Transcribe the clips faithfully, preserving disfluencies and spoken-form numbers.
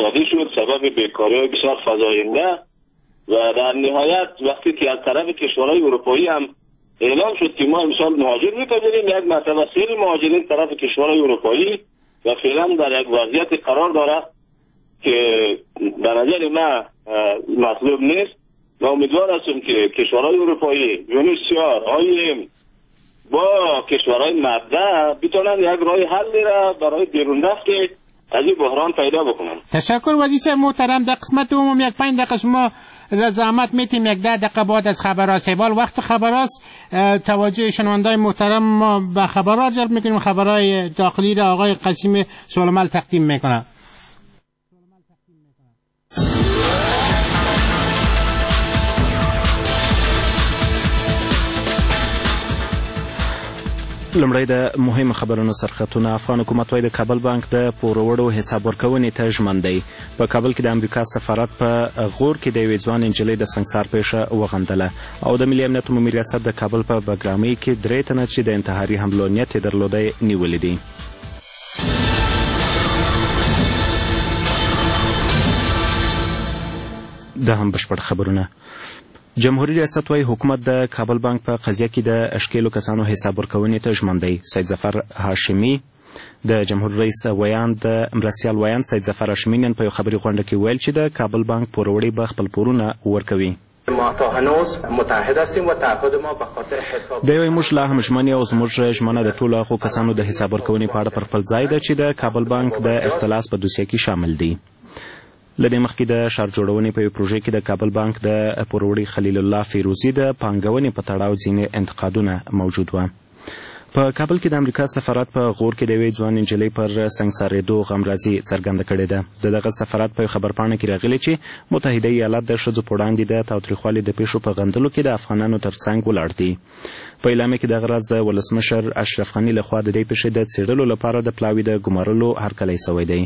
اقتصادی شد، سبب بیکاری بسیار فزاینده و در نهایت وقتی که از طرف کشورهای اروپایی هم اعلام شد که ما امسال مهاجر میپذیریم، یک مرتبه سیل مهاجرین طرف کشورهای اروپایی و فعلا در یک وضعیت قرار داره که به نظر من مطلوب نیست و امیدوار هستم که کشورهای اروپایی، یونیسیار، آی با کشورهای مبدع بتونن یک راه حلی را برای بیرون رفت از این بحران پیدا بکنن. تشکر وزیر صاحب محترم. در قسمت دوم یک پنج دقیقه شما را زحمت میتیم، یک ده دقیقه بعد از خبرهاست. حال وقت خبرهاست، توجه شنوندای محترم ما به خبرها جلب میکنیم. خبرهای داخلی را آقای قسیم سولمل تقدیم میکنه. لومړی د مهمو خبرونو سرخطونه. افغان حکومت وایي د کابل بانک د پوروړو حساب ورکونې ته ژمن دی. په کابل کې د امریکا سفارت په غور کې د یوې ځوانې نجلۍ د سنګسار پېښه وغندله. او د ملي امنیت عمومي ریاست د کابل په بګرامۍ کې درې تنه چې د انتحاري حملو نیت یې درلودی نیولي دي. دا هم بشپړ خبرونه. جمهوري ریاست وایي حکومت د کابل بانک په قضیه کې د ښکېلو کسانو حساب ورکونې ته ژمن دی. سید ظفر هاشمي د جمهور رئیس ویاند مرستیال ویاند سید ظفر هاشمي نن په یو خبري غونډه کې وویل چې د کابل بانک پوروړي به خپل پورونه ورکوي. ما تا هنوز متعهد هستیم و تعهد ما به خاطر حساب دی وایي موږ لا هم ژمن یو او زموږ ژمنه د ټولو هغو کسانو د حساب ورکونې په اړه پر خپل ځای ده چې د کابل بانک د اختلاس په دوسیه کې شامل دي. له دې مخکې د ښار جوړونې په یوې پروژې کې د کابل بانک د پوروړي خلیل الله فیروزي د پانګونې په تړاو ځینې انتقادونه موجود وه. په کابل کې د امریکا سفارت په غور کې د یوې ځوانې نجلۍ پر سنګسارېدو غمرازي څرګنده کړې ده. د دغه سفارت په یو خبرپاڼه کې راغلي چې متحده ایالات د ښځو په وړاندې د تاوتریخوالي د پېښو په غندلو کې د افغانانو ترڅنګ ولاړ دي. په اعلامیه کې دغه راز د ولسمشر اشرف غني لخوا د دې پېښې د څېړلو لپاره د پلاوي د ګمارلو هرکلی سوی دی.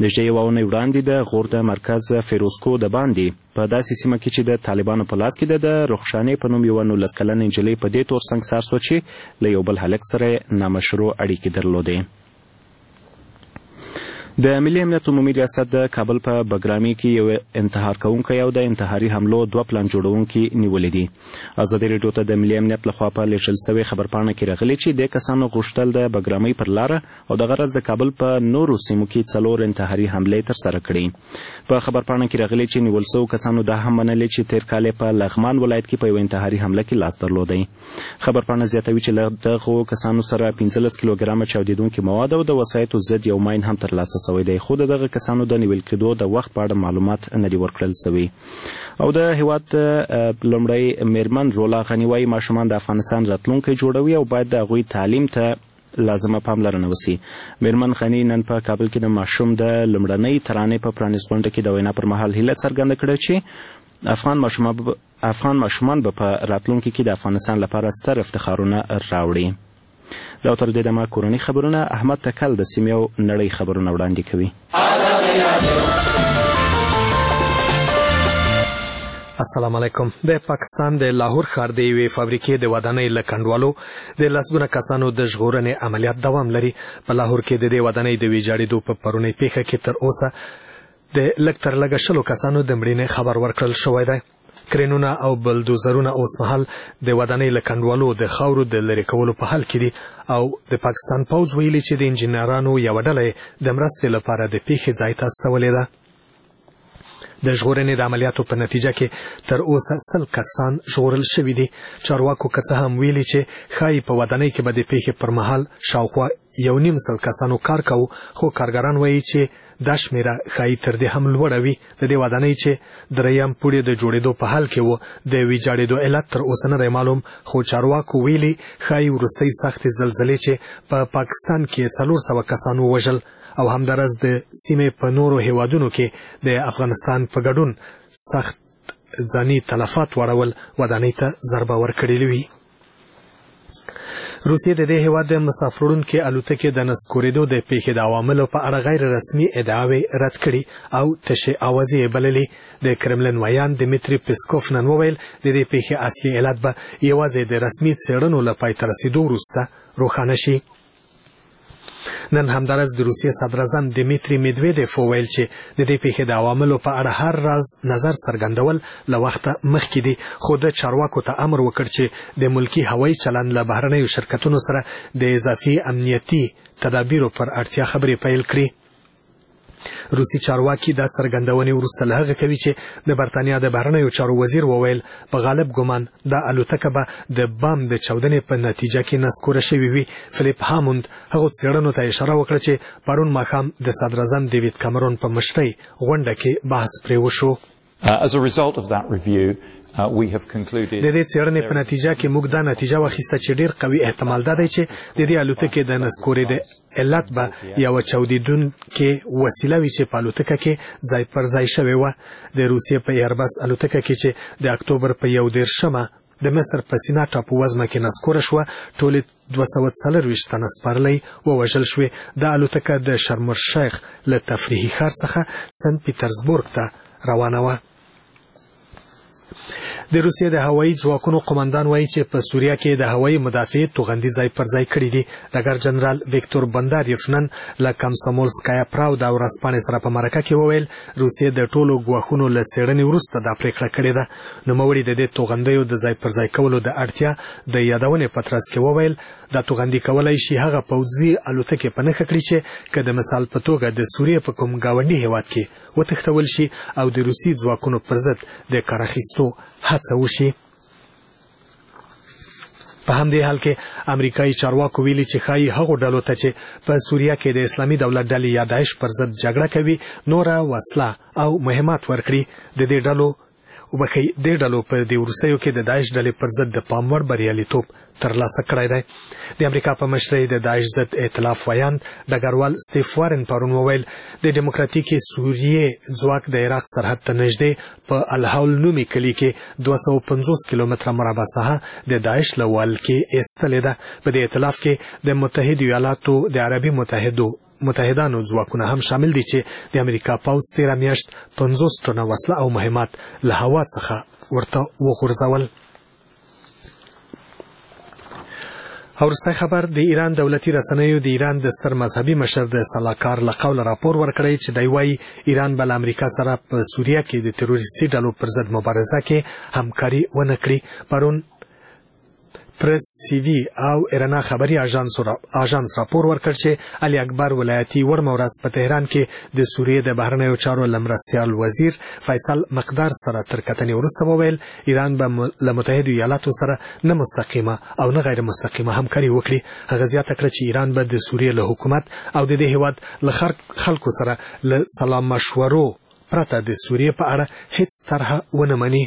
نږدې یوه اونۍ وړاندې د غور د مرکز فیروزکو د باندې په داسې سیمه کې چې د طالبانو په لاس کې ده د رخشانې په نوم یوه نولس کلنه نجلۍ په دې تور سنګسار سوه چې له یو بل هلک سره یې نامشروع اړیکې درلودې. د ملي امنیت عمومي ریاست د کابل په بګرامي کې یو انتحار کوونکی او د انتحاري حملو دوه پلان جوړونکي نیولي دي. ازادي راډیو ته د ملي امنیت لخوا په لېږل سوې خبرپاڼه کې راغلي چې دې کسانو غوښتل د بګرامۍ پر لاره او دغه راز د کابل په نورو سیمو کې څلور انتحاري حملې ترسره کړي. په خبرپاڼه کې راغلي چې نیول سوو کسانو دا هم منلې چې تېر کال یې په لغمان ولایت کې په یوه انتحاري حمله کې لاس درلودی. خبرپاڼه زیاتوي چې له دغو کسانو سره پنځلس کیلوګرامه چاودېدونکي مواد او د وسایطو ضد یو ماین هم ترلاسه سوی دی، خو د دغه کسانو د نیول کېدو د وخت په اړه معلومات نه دي ورکړل سوي. او د هیواد لومړۍ میرمن رولا غني وایي ماشومان د افغانستان راتلونکی جوړوي او باید د هغوی تعلیم ته لازمه پاملرنه وسي. میرمن غني نن په کابل کې د ماشوم د لومړنۍ ترانې په پرانیست غونډه کې د وینا پر مهال هیله څرګنده کړه چې افغان ماشومان افغان ماشومان به په راتلونکي کې د افغانستان لپاره ستر افتخارونه راوړي. دا تر دې دمه کورني خبرونه. احمد تکل د سیمې او نړۍ خبرونه وړاندې کوي. السلام علیکم. د پاکستان د لاهور ښار د یوې فابریکې د ودانۍ له کنډوالو د لسګونه کسانو د ژغورنې عملیات دوام لري. په لاهور کې د دې ودانۍ د ویجاړېدو په پرونۍ پېښه کې تر اوسه د لږ تر لږه شلو کسانو د مړینې خبر ورکړل شوی دی. کرینونه او بلدوزرونه اوسمهال د ودانۍ له کنډوالو د خاورو د لرې کولو په حال کې دي او د پاکستان پوځ ویلي چې د انجینرانو یوه ډله یې د مرستې لپاره د پېښې ځای ته استولې ده. د ژغورنې د عملیاتو په نتیجه کې تر اوسه سل کسان ژغورل شوي دي. چارواکو که څه هم ویلي چې ښایي په ودانۍ کې به د پېښې پر مهال شاوخوا یو نیم سل کسانو کار کاوه، خو کارګران وایي چې دا شمېره ښایي تر دې هم لوړه وي. د دې ودانۍ چې دریم پوړی د جوړېدو په حال کې و د ویجاړېدو علت تر اوسه نه دی معلوم، خو چارواکو ویلي ښایي وروستۍ سختې زلزلې چې په پاکستان کې څلور سوه کسان ووژل او همداراز د سیمې په نورو هیوادونو کې د افغانستان په ګډون سخت ځاني تلفات واړول ودانۍ ته ضربه ورکړې وي. روسیې د دې هیواد د مسافروړونکې الوتکې د نسکورېدو د پېښې د عواملو په اړه غیر رسمي ادعاوې رد کړي او تشې اوازې یې بللې. د کرملین ویاند دیمیتري پیسکوف نن وویل د دې پېښې اصلي علت به یوازې د رسمي څېړنو له پای ته رسېدو وروسته روښانه شي. نن همداراز د روسیې صدراعظم دیمیتري میدویدیف وویل چې د دې پیښې د عواملو په اړه هر راز نظر څرګندول له وخته مخکې دي، خو د چارواکو ته امر وکړ چې د ملکي هوایي چلند له بهرنیو شرکتونو سره د اضافي امنیتي تدابیرو پر اړتیا خبرې پیل کړي. روسي چارواکي دا څرګندونې وروسته له هغه کوي چې د برتانیا د بهرنیو چارو وزیر وویل په غالب ګمان دا الوتکه به د بم د چاودنې په نتیجه کې نسکوره شوې وي. فلیپ هاموند هغو څېړنو ته اشاره وکړه چې پرون ماښام د صدراعظم دیوید کامرون په مشرۍ غونډه کې بحث پرې وشو. د دې څېړنې په نتیجه کې موږ دا نتیجه واخیسته چې ډېر قوي احتمال دا دی چې د دې الوتکې د نسکورې د علت به یوه چاودېدونکې وسیله وي چې په الوتکه کې ځای پر ځای شوې وه. د روسیې په ایربس الوتکه کې چې د اکتوبر په یو دېرشمه د مصر په سینا ټاپو وزمه کې نسکوره شوه، ټولې دوه سوه څلورویشت تنه سپرلۍ ووژل شوې. دا الوتکه د شرم الشیخ له تفریحي ښار څخه سن پیترزبورګ ته روانه وه. د روسیې د هوایي ځواکونو قومندان وایي چې په سوریه کې د هوایي مدافعې توغندي ځای پر ځای کړي دي. ډګر جنرال ویکتور بنداریف نن له کمسمولسکایا پراودا ورځپاڼې سره په مرکه کې وویل روسیې د ټولو ګواښونو له څېړنې وروسته دا پرېکړه کړې ده. نوموړي د دې توغندیو د ځای پر ځای کولو د اړتیا د یادونې په ترڅ کې وویل دا توغندي کولای شي هغه پوځي الوتکې په نښه کړي چې که د مثال په توګه د سوریې په کوم ګاونډي هیواد کې وتښتول شي او د روسي ځواکونو پر ضد د کار اخیستو هڅه وشي. په همدې حال کې امریکایي چارواکو ویلي چې ښایي هغو ډلو ته چې په سوریه کې د اسلامي دولت ډلې یا داعش پر ضد جګړه کوي نوره وسله او مهمات ورکړي. د دې ډلو وبخښئ دې ډلو په دې وروستیو کې د داعش ډلې پر ضد د پام وړ بریالیتوب ترلاسه کړی دی. د امریکا په مشرۍ د داعش ضد ائتلاف ویاند ډګروال ستیف وارن پرون وویل د دیموکراتیکې سوریې ځواک د عراق سرحد ته نږدې په الحول نومي کلي کې دوه سوه پنځوس کیلومتره مربع ساحه د داعش له ولکې ایستلې ده. په دې ائتلاف کې د متحدو ایالاتو د عربي متحدو متحدانو ځواکونه هم شامل دي چې د امریکا پوځ تېره میاشت پنځوس ټنه وسله او مهمات له هوا څخه ورته وغورځول. وروستی خبر، د ایران دولتي رسنیو د ایران د ستر مذهبي مشر د سلاکار له قوله راپور ورکړی چې دی وایي ایران به له امریکا سره په سوریه کې د تروریستي ډلو پر ضد مبارزه کې همکاري ونه کړي. پرون پرس ټي وي او ایرنا خبري آژانس راپور ورکړ چې علي اکبر ولایتي وړمه ورځ په تهران کې د سوریې د بهرنیو چارو له مرستیال وزیر فیصل مقدار سره تر کتنې وروسته وویل ایران به له متحدو ایالاتو سره نه مستقیمه او نه غیر مستقیمه همکاري وکړي. هغه زیاته کړه چې ایران به د سوریې له حکومت او د دې هیواد له خلکو سره له سلا مشورو پرته د سوریې په اړه هیڅ طرحه ونه مني.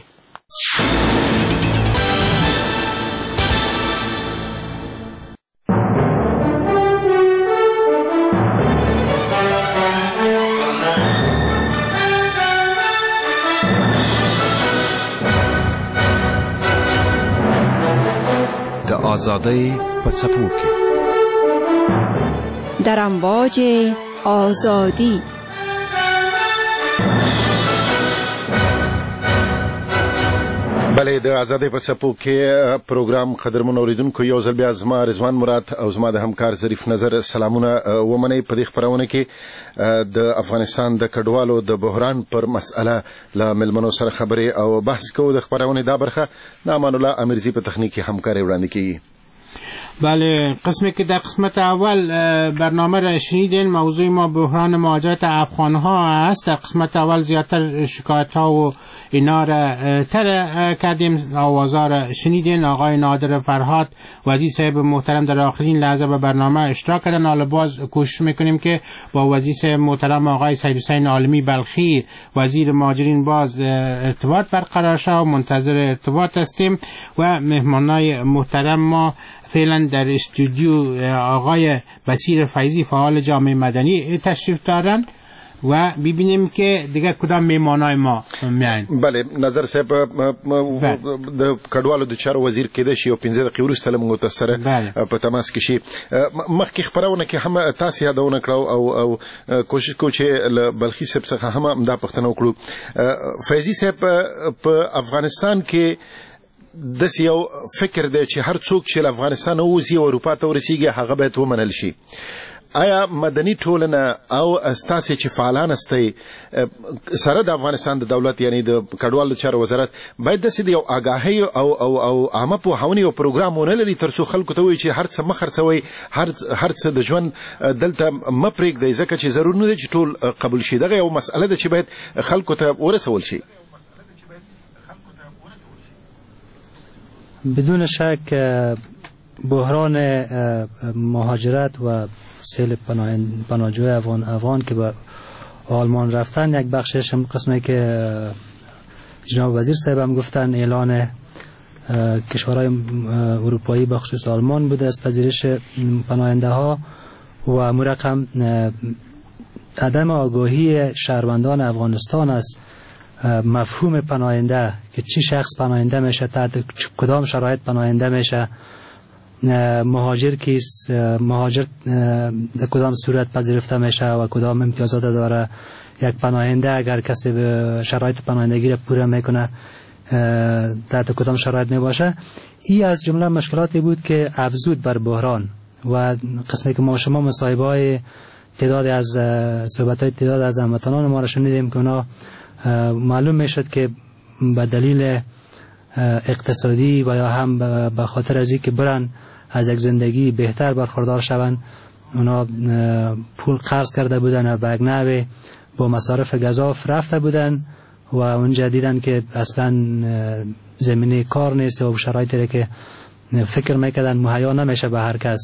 آزادۍ په څپو کې در امواج آزادی. بله، د ازادۍ په څپو کې پروګرام قدرمن اوریدونکو یو ځل بیا زما رضوان مراد او زما د همکار ظریف نظر سلامونه ومنئ. په دې خپرونه کې د افغانستان د کډوالو د بحران پر مسئله له مېلمنو سره خبرې او بحث کوو. د خپرونې دا برخه د امان الله امیرزي په تخنیکي همکارۍ وړاندې کیږي. بله، قسمی که در قسمت اول برنامه را شنیدین موضوع ما بحران مهاجرت افغان ها است. در قسمت اول زیادتر شکایت ها و اینا را تر کردیم، آوازها را شنیدین. آقای نادر فرهاد وزیر صاحب محترم در آخرین لحظه به برنامه اشتراک کردن. حالا باز کوشش میکنیم که با وزیر صاحب محترم آقای سید حسین عالمی بلخی وزیر مهاجرین باز ارتباط برقرار شد و منتظر ارتباط هستیم. و مهمانای محترم ما فعلا در استودیو آقای بصیر فیضی فعال جامعه مدنی تشریف دارند و ببینیم که دیگه کدام میمانای ما میاین. بله، نظر صاحب د کډوالو د چارو وزیر کېدای شي یو پنځه دقیقې وروسته له موږ سره په تماس کې شي. مخکې خپرونه کې هم تاسې یادونه کړه او او کوشش کوو چې له بلخي صاحب څخه هم همدا پوښتنه وکړو. فیضي صاحب، په افغانستان کې داسې یو فکر دی چې هر څوک چې له افغانستانه ووځي او اروپا ته ورسیږي هغه باید ومنل شي. آیا مدني ټولنه او ستاسې چې فعالان استئ سره د افغانستان د دولت یعنی د کډوالو چارو وزارت باید داسې د یو آګاهۍ او او او عامه پوهونې یو پروګرام ونه لري ترڅو خلکو ته ووایي چې هر څه مه خرڅوئ، هر هر څه د ژوند دلته مه پرېږدئ، ځکه چې ضرور نه دی چې ټول قبول شي. دغه یو مسئله ده چې باید خلکو ته ورسول شي. بدون شک بحران مهاجرت و سیل پناهجوی افغان افغان که به آلمان رفتن یک بخشش هم قسمی که جناب وزیر صاحب هم گفتن اعلان کشورهای اروپایی به خصوص آلمان بوده از پذیرش پناهنده ها و مرقم عدم آگاهی شهروندان افغانستان از مفهوم پناهنده که چی شخص پناهنده میشه، تحت کدام شرایط پناهنده میشه، مهاجر کیست، مهاجر در کدام صورت پذیرفته میشه و کدام امتیازات داره، یک پناهنده اگر کسی به شرایط پناهندگی را پوره میکنه تحت کدام شرایط میباشه. این از جمله مشکلاتی بود که افزود بر بحران و قسمی که ما شما مصاحبه های تعداد از صحبت های تعداد از هموطنان ما را شنیدیم که اونا معلوم میشد که به دلیل اقتصادی و یا هم به خاطر از اینکه برن از یک زندگی بهتر برخوردار شوند اونا پول قرض کرده بودن و به یک نوع با مصارف گزاف رفته بودن و اونجا دیدن که اصلا زمینه کار نیست و شرایطی که فکر میکردن مهیا نمیشه به هر کس.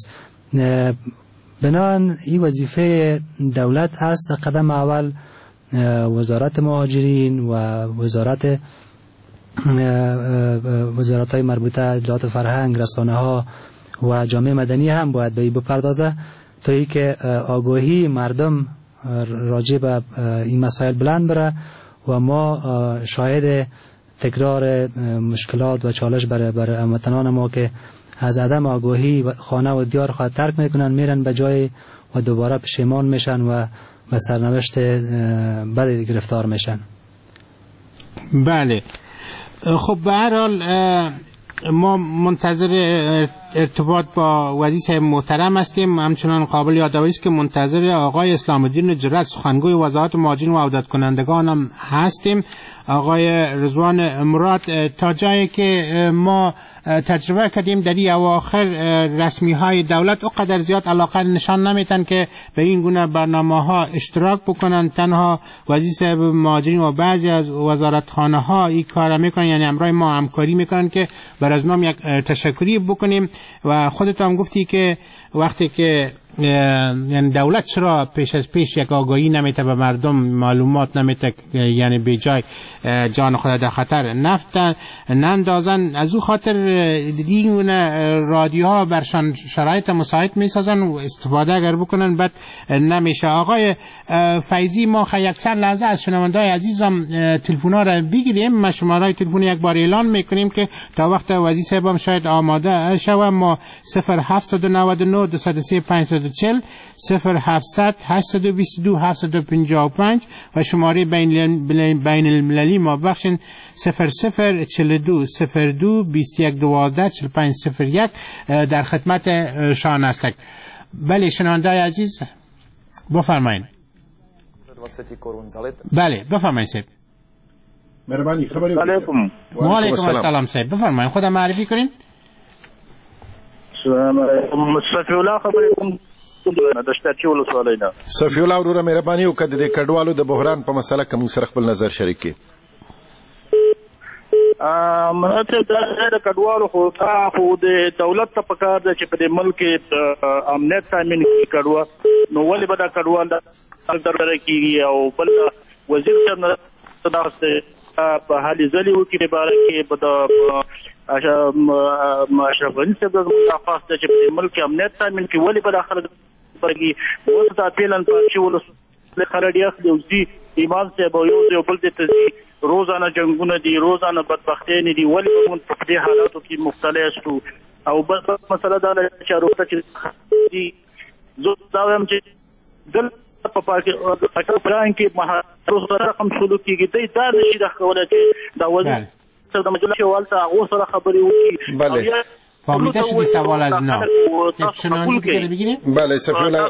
بنابراین این وظیفه دولت است قدم اول وزارت مهاجرین و وزارت وزارت های مربوطه اطلاعات فرهنگ، رسانه ها و جامعه مدنی هم باید به این بپردازه تا اینکه آگاهی مردم راجع به این مسائل بلند بره و ما شاهد تکرار مشکلات و چالش برای برای هموطنان ما که از عدم آگاهی خانه و دیار خود ترک میکنن، میرن به جای و دوباره پشیمان میشن و به سرنوشت بد گرفتار میشن. بله خب به هر حال ما منتظر ارتباط با وزیر صاحب محترم هستیم. همچنان قابل یادآوری است که منتظر آقای اسلام الدین جرأت سخنگوی وزارت مهاجرین و عودت کنندگان هم هستیم. آقای رضوان مراد، تا جایی که ما تجربه کردیم در این اواخر رسمی های دولت اقدر زیاد علاقه نشان نمیتن که به این گونه برنامه ها اشتراک بکنن. تنها وزیر صاحب مهاجرین و بعضی از وزارتخانه ها این کار میکنن، یعنی همراه ما همکاری میکنن که بر از نام یک تشکری بکنیم. و خودت هم گفتی که وقتی که یعنی دولت چرا پیش از پیش یک آگاهی نمیته به مردم، معلومات نمیته، یعنی به جای جان خود در خطر نفتن نندازن، از او خاطر این رادیوها برشان شرایط مساعد میسازن و استفاده اگر بکنن بعد نمیشه. آقای فیضی، ما یک چند لحظه از شنوندای عزیزم تلفن ها را بگیریم. ما شماره تلفن یک بار اعلان میکنیم که تا وقت وزیر صاحب شاید آماده شوه. ما صفر هفت نه نه دو سه پنج چهل صفر هفتصد هشتصد و بیست و دو هفتصد و پنجاه و پنج و شماره بین بین المللی ما بخشین صفر صفر چهل و دو صفر دو بیست و یک دوازده چهل و پنج صفر یک در خدمت شان هستک. بله شنوندای عزیز بفرمایید. بله بفرمایید صاحب. مهربانی خبری. علیکم. و علیکم السلام صاحب، بفرمایید خودم معرفی کنین. سلام علیکم، صفی الله خبرې کوم د شترچي ولسوالۍ نه. صفی الله وروره مهرباني وکړه د دې کډوالو د بحران په مسله کې موږ سره خپل نظر شریک کړئ. ماته د کډوالو خو دا خو د دولت ته پکار ده چې په دې ملک کې امنیت تامین کړي کډوال، نو ولې به دا کډوال دربره کېږي؟ او بل وزیر صاحب نه دا په هلې ځلې وکړي باره کې به د اشرف غني صاحب زموږ درخواست ده چې په دې ملک کې امنیت تامین کړي. ولې به دا خلک برګي اوس دا فعلاً پارچې ولسوالۍ خلک ډېر اخلي او ځي امام صاحب او یو ځای بل ځای ته ځي، روزانه جنګونه دي، روزانه بدبختیانې دي. ولې به موږ په دې حالاتو کې مبتلا یاستو؟ او بل مسله دا ده چې اروپا چې دي، زه دا وایم چې دلته په پاکستان کې مهاجرو سره رقم سلوک کېږي، دی دا نه شي دا کولی چې دا وزیر د مجلس چې هلته هغو سره خبرې وکړي. فهمیده شدی سوال از اینا تاسو قبول کړئ. بله صفی الله،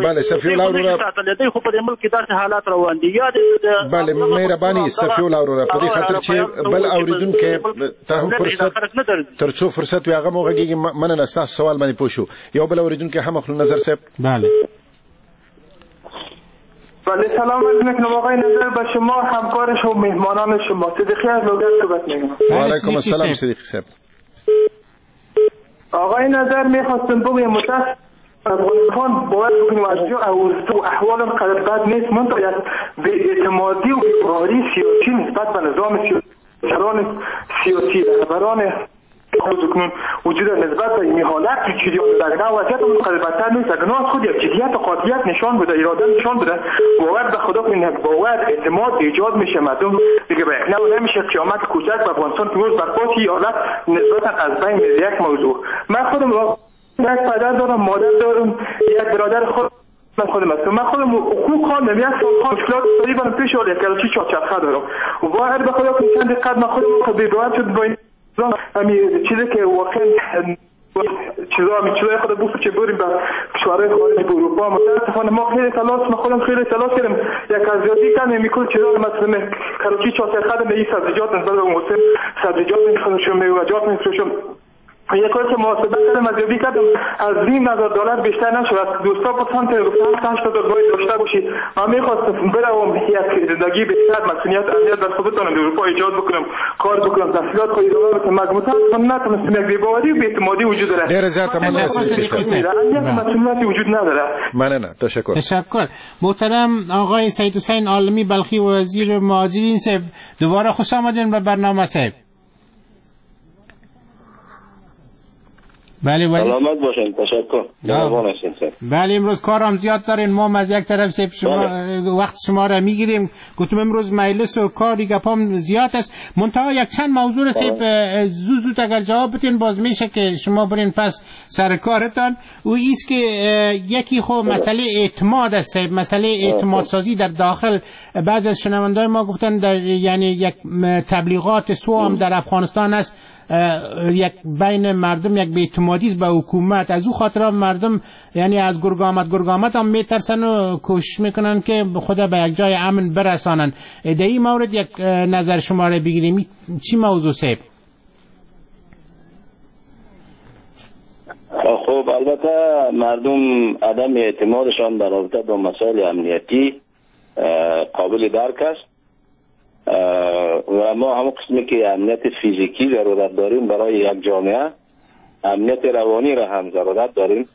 بله صفی الله وروره، دوی خو په دې ملک کې داسې حالات روان دي. یا بله مهرباني صفی الله وروره، په دې خاطر چې بل اوریدونکی ته هم فرصت تر څو فرصت وي هغه مو غږېږي. مننه، ستاسو سوال باندې پوه شو. یو بل اوریدونکی هم اخلو. نظر صاحب. بله بله، سلام عرض میکنم آقای نظر به شما، همکار شما، مهمانان شما. صدیقی از لوگر صحبت میکنم. و علیکم السلام صدیقی صاحب. آقای نظر، میخواستم بگویم متاسف افغانستان باید بگویم از جو احوال قدر بد نیست، منتها یک بی‌اعتمادی و بی‌باوری سیاسی نسبت به نظام سیاسی، سیاسی رهبران کنون وجود نسبت به این حالت جریان در وضعیت قدر بدتر نیست. اگر خود یک جدیت و قاطعیت نشان بده، اراده نشان بده، باور به خدا کنین یک باور اعتماد ایجاد میشه، مردم دیگه به یک نوع نمیشه قیامت کوچک به افغانستان که روز برپا حالت نسبتا از بین میره. یک موضوع، من خودم یک پدر دارم، مادر دارم، یک برادر خود من خودم هستم. من خودم خوب خواندم، یک سال خواندم، مشکلات اقتصادی برام پیش آمد، یک کلاسی چهارچرخه دارم. باور به خدا کنین چند دقیقه من خودم بی باور شد با این همین چیزی که واقعا چیزا همین چیزای خود بوف که بریم به کشورهای خارج به اروپا. متاسفانه ما خیلی تلاش، من خودم خیلی تلاش کردم، یک از زیادی کم میکل چیزا مثلا کراچی چهارچرخه دارم، این سبزیجات نسبت به موسم سبزیجات میفروشم، میوه‌جات میفروشم. یک کاری که محاسبه کردم از یادی کردم از نیم هزار دلار بیشتر نشد. از دوستا پرسان که گفتن هشت هزار باید داشته باشی. من میخواستم بروم یک زندگی بهتر، مسئولیت امنیت بر خود بتونم در اروپا ایجاد بکنم، کار بکنم، تحصیلات خود ادامه بدم. متاسفانه نتونستم. یک بی‌باوری و بی‌اعتمادی وجود داره. ډېر زیاته مننه. امنیت مسئولیت وجود نداره. مننه، تشکر. تشکر. محترم آقای سید حسین عالمی بلخی وزیر مهاجرین صاحب، دوباره خوش آمدین به برنامه صاحب. بله ولی سلامت باشین، تشکر. مهربان هستین. بله امروز کارم زیاد دارین، ما از یک طرف سیب شما بله. وقت شما را میگیریم. گفتم امروز مجلس و کاری گپام زیاد است، منتها یک چند موضوع را سیب زود زود اگر جواب بدین باز میشه که شما برین پس سر کارتان. او ایست که یکی خب مسئله اعتماد است، سیب مسئله اعتماد سازی در داخل. بعض از شنوندای ما گفتن در یعنی یک تبلیغات سو هم در افغانستان است، یک بین مردم یک بی‌اعتمادی است به حکومت، از او خاطر مردم یعنی از گرگ آمد گرگ آمد هم میترسن و کوشش میکنن که خود به یک جای امن برسانن. در این مورد یک نظر شما را بگیریم، چی موضوع صاحب؟ خب البته مردم عدم اعتمادشان در رابطه با مسائل امنیتی قابل درک است و ما همون قسمی که امنیت فیزیکی ضرورت داریم برای یک جامعه، امنیت روانی را هم ضرورت داریم.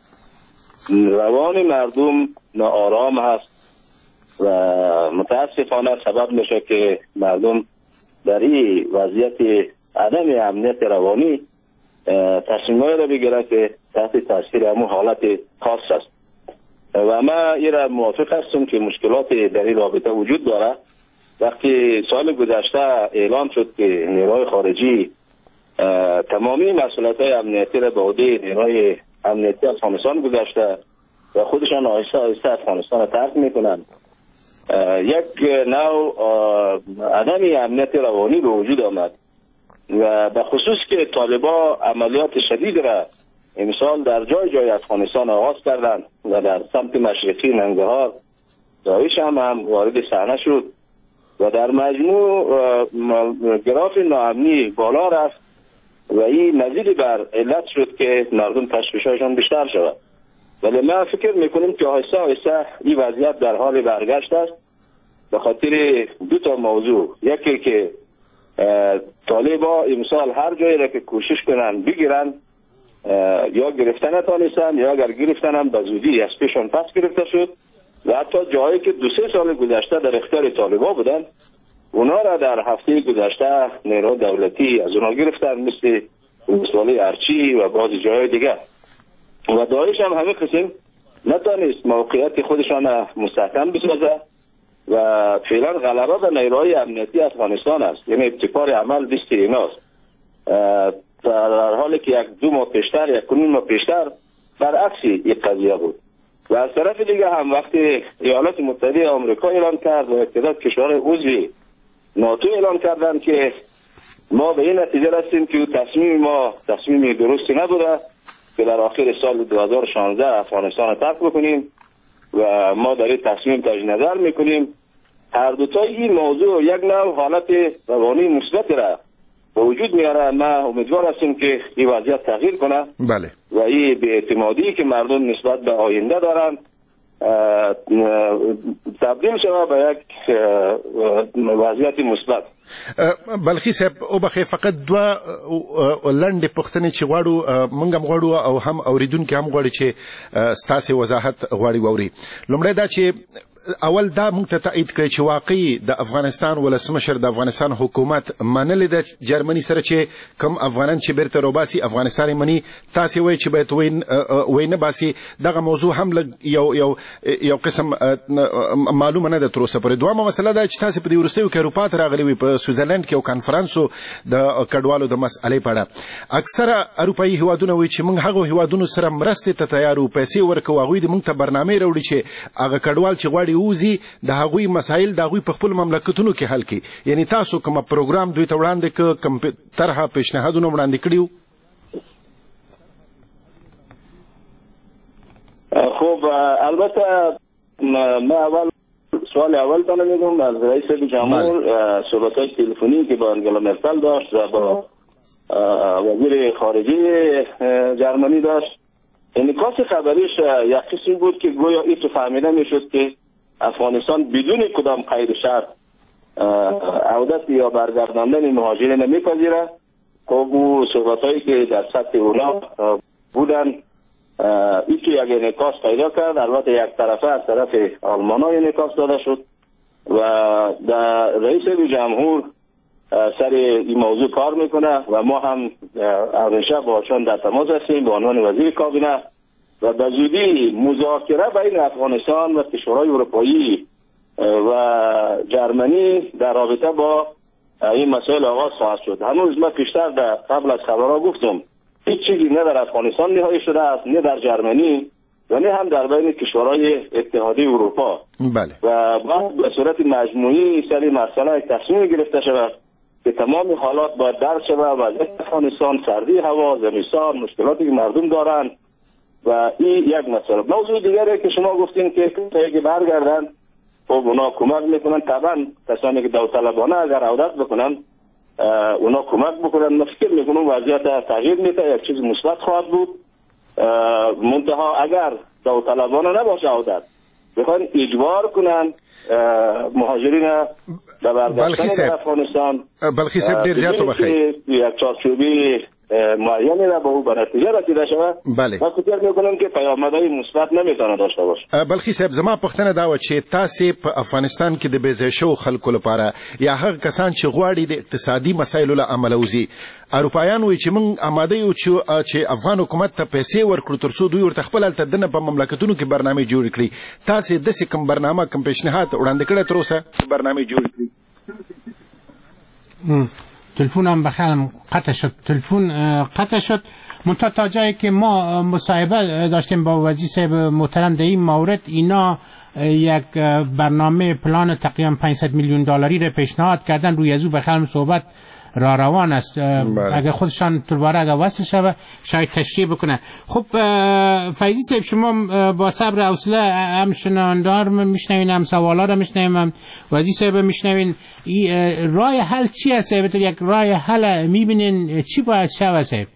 روان مردم ناآرام هست و متاسفانه سبب میشه که مردم در این وضعیت عدم امنیت روانی تصمیمایی را بگیره که تحت تاثیر همون حالت خاص است. و ما این را موافق هستم که مشکلات در این رابطه وجود داره. وقتی سال گذشته اعلام شد که نیروهای خارجی تمامی مسئولیت‌های امنیتی را به عهده نیروهای امنیتی افغانستان گذاشته و خودشان آهسته آهسته افغانستان را ترک میکنند، یک نوع عدم امنیت روانی به وجود آمد و به خصوص که طالبا عملیات شدید را امسال در جای جای افغانستان آغاز کردند و در سمت مشرقی ننگرهار داعش هم, هم وارد صحنه شد و در مجموع گراف ناامنی بالا رفت و این مزید بر علت شد که مردم تشویش‌هایشان بیشتر شود. ولی ما فکر میکنیم که آهسته آهسته این وضعیت در حال برگشت است به خاطر دو تا موضوع. یکی که طالبا امسال هر جایی را که کوشش کنن بگیرن یا گرفتن نتانستن یا اگر گرفتن هم به زودی از پیشان پس گرفته شد و حتی جایی که دو سه سال گذشته در اختیار طالبا بودن اونا را در هفته گذشته نیروهای دولتی از اونا گرفتن، مثل ولسوالی ارچی و بعضی جای دیگر. و داعش هم همه قسم نتانست موقعیت خودشان مستحکم بسازه و فعلا غلبه به نیروهای امنیتی افغانستان است، یعنی ابتکار عمل دست ایناست، در حالی که یک دو ماه پیشتر یک نیم ماه پیشتر برعکس این قضیه بود. و از طرف دیگه هم وقتی ایالات متحده آمریکا اعلام کرد و تعداد کشورهای عضو ناتو اعلام کردند که ما به این نتیجه رسیدیم که تصمیم ما تصمیم درستی نبوده که در آخر سال دو هزار و شانزده افغانستان را ترک بکنیم و ما در این تصمیم تجدید نظر میکنیم. هر دو تا این موضوع یک نوع حالت روانی مثبت را به وجود میاره. ما امیدوار هستیم که این وضعیت تغییر کنه. بله. و این بی‌اعتمادی که مردم نسبت به آینده دارند تبدیل شود به یک وضعیت مثبت. بلخي صاحب وبخښئ، فقط دوه لنډې پوښتنې چې غواړو موږ هم غواړو او هم اورېدونکي هم غواړي چې ستاسې وضاحت غواړي واوري. لومړی دا چې اول دا موږ ته تایید کړئ چې واقعي د افغانستان ولسمشر د افغانستان حکومت منلې ده جرمني سره چې کوم افغانان چې بیرته روباسي افغانستان یې مني، تاسې وایئ چې باید ویې نه باسي. دغه موضوع هم لږ یو یو یو قسم معلومه نه ده تر اوسه پورې. دوهمه مسله دا چې تاسې په دې وروستیو کې اروپا ته راغلي وئ، په سویټزرلنډ کې یو کانفرانس و د کډوالو د مسئلې په اړه. اکثره اروپایي هیوادونه وایي چې موږ هغو هیوادونو سره مرستې ته تیار یو، پیسې ورکوو، هغوی دې موږ ته برنامې راوړي چې هغه کډوال چې غواړي ووځي د هغوی مسایل د هغوی په خپل مملکتونو کې حل کړي. یعنی تاسو کوم پروګرام دوی ته وړاندې کړ، کوم طرحه پیشنهادونه وړاندې کړي وو؟ خب البته ما اول سوال اول تانه میگم از رئیس جمهور صحبت‌های تلفنی که با انگلا مرکل داشت و با وزیر خارجه جرمنی داشت، انعکاس خبریش یک قسمی بود که گویا این تو فهمیده میشد که افغانستان بدون کدام قید و شرط عودت یا برگرداندن مهاجرین نمیپذیره. خب او صحبت‌هایی که در سطح اونا بودن این تو یک انعکاس پیدا کرد. البته یک طرفه از طرف آلمان ها انعکاس داده شد و در رئیس جمهور سر این موضوع کار میکنه و ما هم همیشه باشان در تماس هستیم به عنوان وزیر کابینه و به زودی مذاکره بین افغانستان و کشورهای اروپایی و جرمنی در رابطه با این مسائل آغاز خواهد شد. هنوز ما پیشتر در قبل از خبرها گفتم هیچ چیزی نه در افغانستان نهایی شده است، نه در جرمنی و نه هم در بین کشورهای اتحادیه اروپا. بله. و باید به صورت مجموعی سر مسئله تصمیم گرفته شود که تمام حالات باید درک شود. وضعیت افغانستان، سردی هوا، زمستان، مشکلاتی که مردم دارند و این یک مسئله. موضوع دیگری که شما گفتین که کسایی که برگردن خب اونا کمک میکنن، طبعا کسانی که داوطلبانه اگر عودت بکنن اونا کمک بکنن. من فکر میکنم وضعیت تغییر میده، یک چیز مثبت خواهد بود. منتها اگر داوطلبانه نباشه عودت، بخوان اجبار کنن مهاجرین به برگشتن در افغانستان. بلخی صاحب ډیر زیات وبخښئ، یک چارچوبی معینی را به او به نتیجه رسیده شود. بله. من فکر میکنم که پیامدهای مثبت نمیتونه داشته باشه. بلخي صاحب زما پوښتنه دا وه چې تاسې په افغانستان کې د بې ځایه شوو خلکو لپاره یا هغه کسان چې غواړي د اقتصادي مسایلو له امله وځي، اروپایان وایي چې موږ اماده یو چې افغان حکومت ته پیسې ورکړو تر څو دوی ورته خپل هلته دننه په مملکتونو کې برنامې جوړې کړي. تاسې داسې کوم برنامه کوم پیشنهاد وړاندې کړی تر اوسه؟ برنامې جوړې کړي. تلفن هم بخیرم قطع شد، تلفن قطع شد. منتها تا جایی که ما مصاحبه داشتیم با وزیر صاحب محترم در این مورد، اینا یک برنامه پلان تقریبا پانصد میلیون دلاری را پیشنهاد کردن. روی از او بخیرم صحبت را روان است. اگر خودشان دوباره اگر وصل شوه شاید تشریح بکنه. خب فیضی صاحب شما با صبر و حوصله هم شنوندار میشنوین، هم سوالا را میشنوین، هم وزیر صاحب میشنوین. راه حل چی است صاحب؟ یک راه حل میبینین چی باید شوه صاحب؟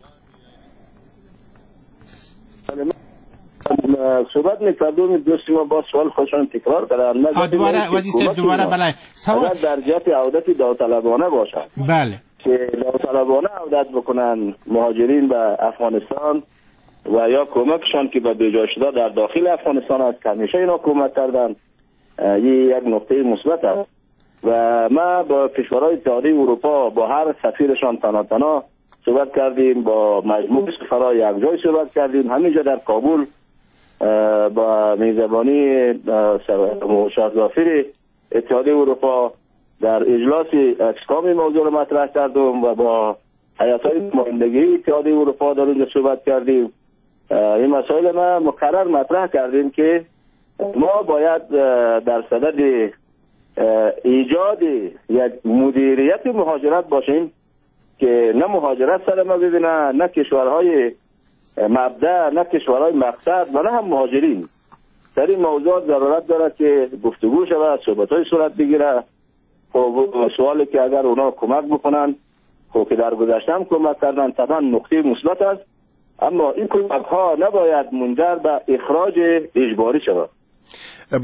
صحبت میکردم دوست ما با سوال خودشان تکرار کردن. دوباره وزیر صاحب دوباره بله. سوال در جهت عودت داوطلبانه باشد. بله. که داوطلبانه عودت بکنن مهاجرین به افغانستان و یا کمکشان که به بیجا شده در داخل افغانستان است که همیشه اینا کمک کردن، این یک نقطه مثبت است. و ما با کشورهای اتحادیه اروپا با هر سفیرشان تنها تنها صحبت کردیم، با مجموع سفرای یک جای صحبت کردیم، همینجا در کابل با میزبانی شارژافیر اتحادیه اروپا در اجلاس اکسکام موضوع را مطرح کردم و با هیئت‌های نمایندگی اتحادیه اروپا در اونجا صحبت کردیم. این مسائل ما مکرر مطرح کردیم که ما باید در صدد ایجاد یک مدیریت مهاجرت باشیم که نه مهاجرت سر ما ببینه، نه کشورهای مبدأ، نه کشورهای مقصد و نه هم مهاجرین. در این موضوع ضرورت دارد که گفتگو شود، صحبت‌های صورت بگیره. خب سوالی که اگر اونا کمک بکنن، خب که در گذشته هم کمک کردن، طبعا نقطه مثبت است، اما این کمک ها نباید منجر به اخراج اجباری شود.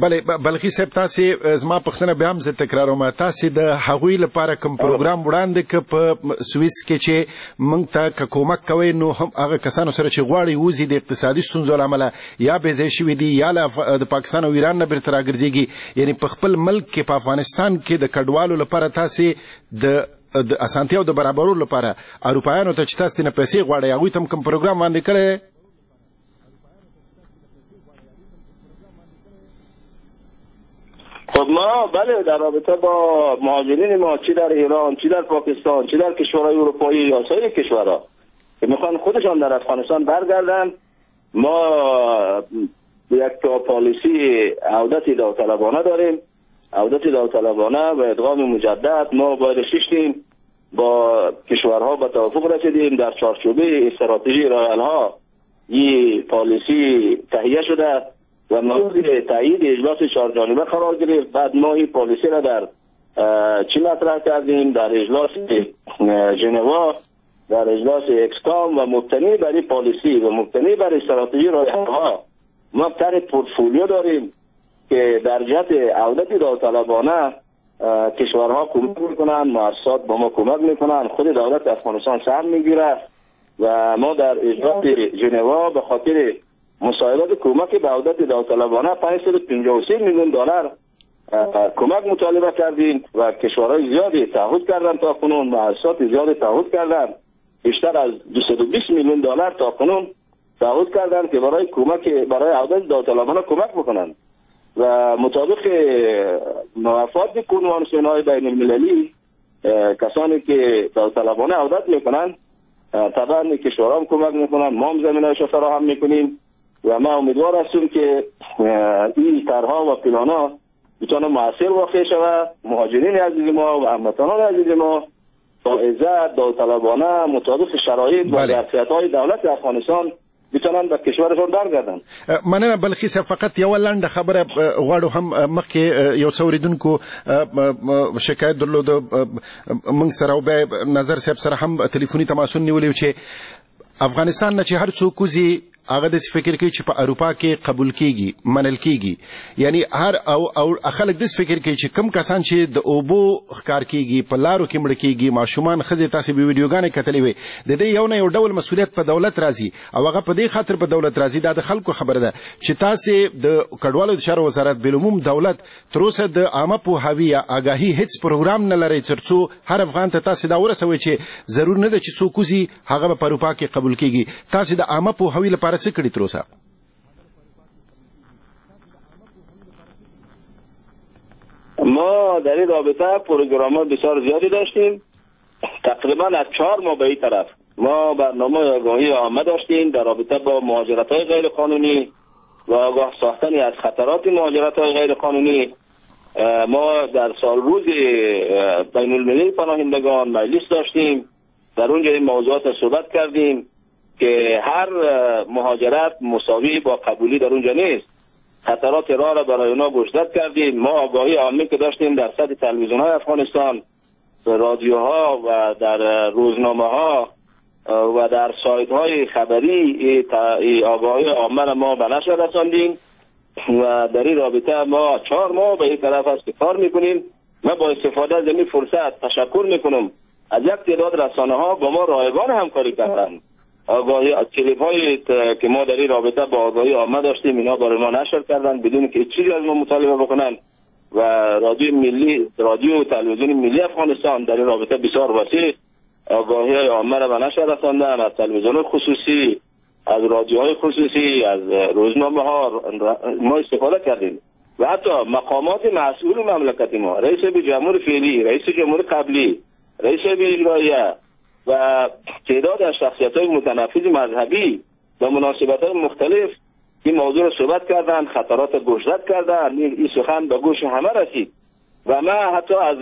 بله بلخي صاحب، تاسو زما پوښتنه بیا هم زه تکراروم. تاسو د هغوی لپاره کوم پروګرام وړاندې که په سویس کې چې موږ ته که کومک کوئ، نو هم هغه کسانو سره چې غواړي وځي د اقتصادي ستونزو له امله یا بې ځایه شوي دي یا له د پاکستان او ایران نه بېرته راګرځېږي، یعنې په خپل ملک کې په افغانستان کې د کډوالو لپاره تاسو د د اسانتیاو د برابرولو لپاره اروپایانو ته چې تاسو نه پیسې غواړئ، هغوی ته هم کوم پروګرام وړاندې کړی؟ خب ما بله، در رابطه با مهاجرین ما چی در ایران، چی در پاکستان، چی در کشورهای اروپایی یا سایر کشورها که میخوان خودشان در افغانستان برگردن، ما یک پالیسی عودت داوطلبانه داریم. عودت داوطلبانه و ادغام مجدد ما باید شیشتیم با کشورها به توافق رسیدیم. در چارچوبه استراتژی راه این پالیسی تهیه شده و مورد تایید اجلاس چهار جانبه قرار گرفت. بعد ما این پالیسی را در چی مطرح کردیم؟ در اجلاس ژنوا، در اجلاس اکسکام و مبتنی بر این پالیسی و مبتنی بر استراتژی راه‌ها ما طرح پورتفولیو داریم که در جهت عودت داوطلبانه کشورها کمک میکنن، مؤسسات با ما کمک میکنن، خود دولت افغانستان سهم میگیره و ما در اجلاس ژنوا به خاطر مساعدت کمک به عودت داوطلبانه پانصد و پنجاه و سه میلیون دلار کمک مطالبه کردیم و کشورهای زیادی تعهد کردن تا کنون، مؤسسات زیادی تعهد کردن، بیشتر از دویست و بیست میلیون دلار تا کنون تعهد کردن که برای کمک برای عودت داوطلبانه کمک بکنن و مطابق موافقات کنوانسیون‌های بین المللی کسانی که داوطلبانه عودت میکنن طبعا کشورها هم کمک میکنن، ما هم زمینه‌اش فراهم میکنیم و ما امیدوار هستیم که این طرح‌ها و پلان‌ها بتونه موثر واقع شود. مهاجرین عزیز ما و هموطنان عزیز ما با عزت داوطلبانه مطابق شرایط و ظرفیت‌های دولت افغانستان بتونن به کشورشون برگردن. مننه بلخي صاحب، فقط یوه لنډه خبره غواړو هم مخکې یو څه اورېدونکو شکایت درلود موږ سره او بیا نظر صاحب سره هم تلیفوني تماسونه نیولي و چې افغانستان نه چې هر څوک وځي هغه داسې فکر کوي چې په اروپا کې قبول کیږي، منل کیږي، یعنی هر او او خلک داسې فکر کوي چې کم کسان چې د اوبو ښکار کیږي، په لارو کې مړه کیږي، ماشومان، ښځې، تاسې به ویډیوګانې کتلې وي، د دې یو نه یو ډول مسولیت په دولت راځي او هغه په دې خاطر په دولت راځي، دا د خلکو خبره ده چې تاسې د کډوالو د چارو وزارت بالعموم دولت تر اوسه د عامه پوهاوي یا آګاهي هیڅ پروګرام نه لرئ تر څو هر افغان ته تاسې دا ورسوئ چې ضرور نه ده چې څوک وځي هغه به په اروپا کې قبول کیږي. تاسې د عامه پوهاوي لپاره څه کړي تر اوسه؟ ما در این رابطه پروگرام‌ها بسیار زیادی داشتیم. تقریبا از چهار ماه به این طرف ما برنامه آگاهی عامه داشتیم در رابطه با مهاجرت‌های غیر قانونی و آگاه ساختن از خطرات مهاجرت‌های غیر قانونی. ما در سال روز بین المللی پناهندگان مجلس داشتیم، در اونجا این موضوعات صحبت کردیم که هر مهاجرت مساوی با قبولی در اونجا نیست. خطرات راه را برای اونا گوشزد کردیم. ما آگاهی عامه که داشتیم در سطح تلویزیون‌های افغانستان، رادیوها و در روزنامه‌ها و در سایت‌های خبری آگاهی عامه را ما به نشر رساندیم و در این رابطه ما چهار ماه به این طرف است که کار میکنیم. ما با استفاده از این فرصت تشکر میکنم از یک تعداد رسانه‌ها با ما رایگان همکاری کردند. آگاهی کلیپ هایی که ما در این رابطه با آگاهی عامه داشتیم اینا برای ما نشر کردن بدون که چیزی از ما مطالبه بکنن و رادیو ملی، رادیو و تلویزیون ملی افغانستان در این رابطه بسیار وسیع آگاهی عامه را به نشر رساندن، از تلویزیون خصوصی، از رادیوهای خصوصی، از روزنامه ها ما استفاده کردیم و حتی مقامات مسئول مملکت ما، رئیس جمهور فعلی، رئیس جمهور قبلی، رئیس اجراییه و تعداد از شخصیت‌های متنفذ مذهبی و مناسبت‌های مختلف این موضوع را صحبت کردند، خطرات گوشزد کردند. این سخن به گوش همه رسید و ما حتی از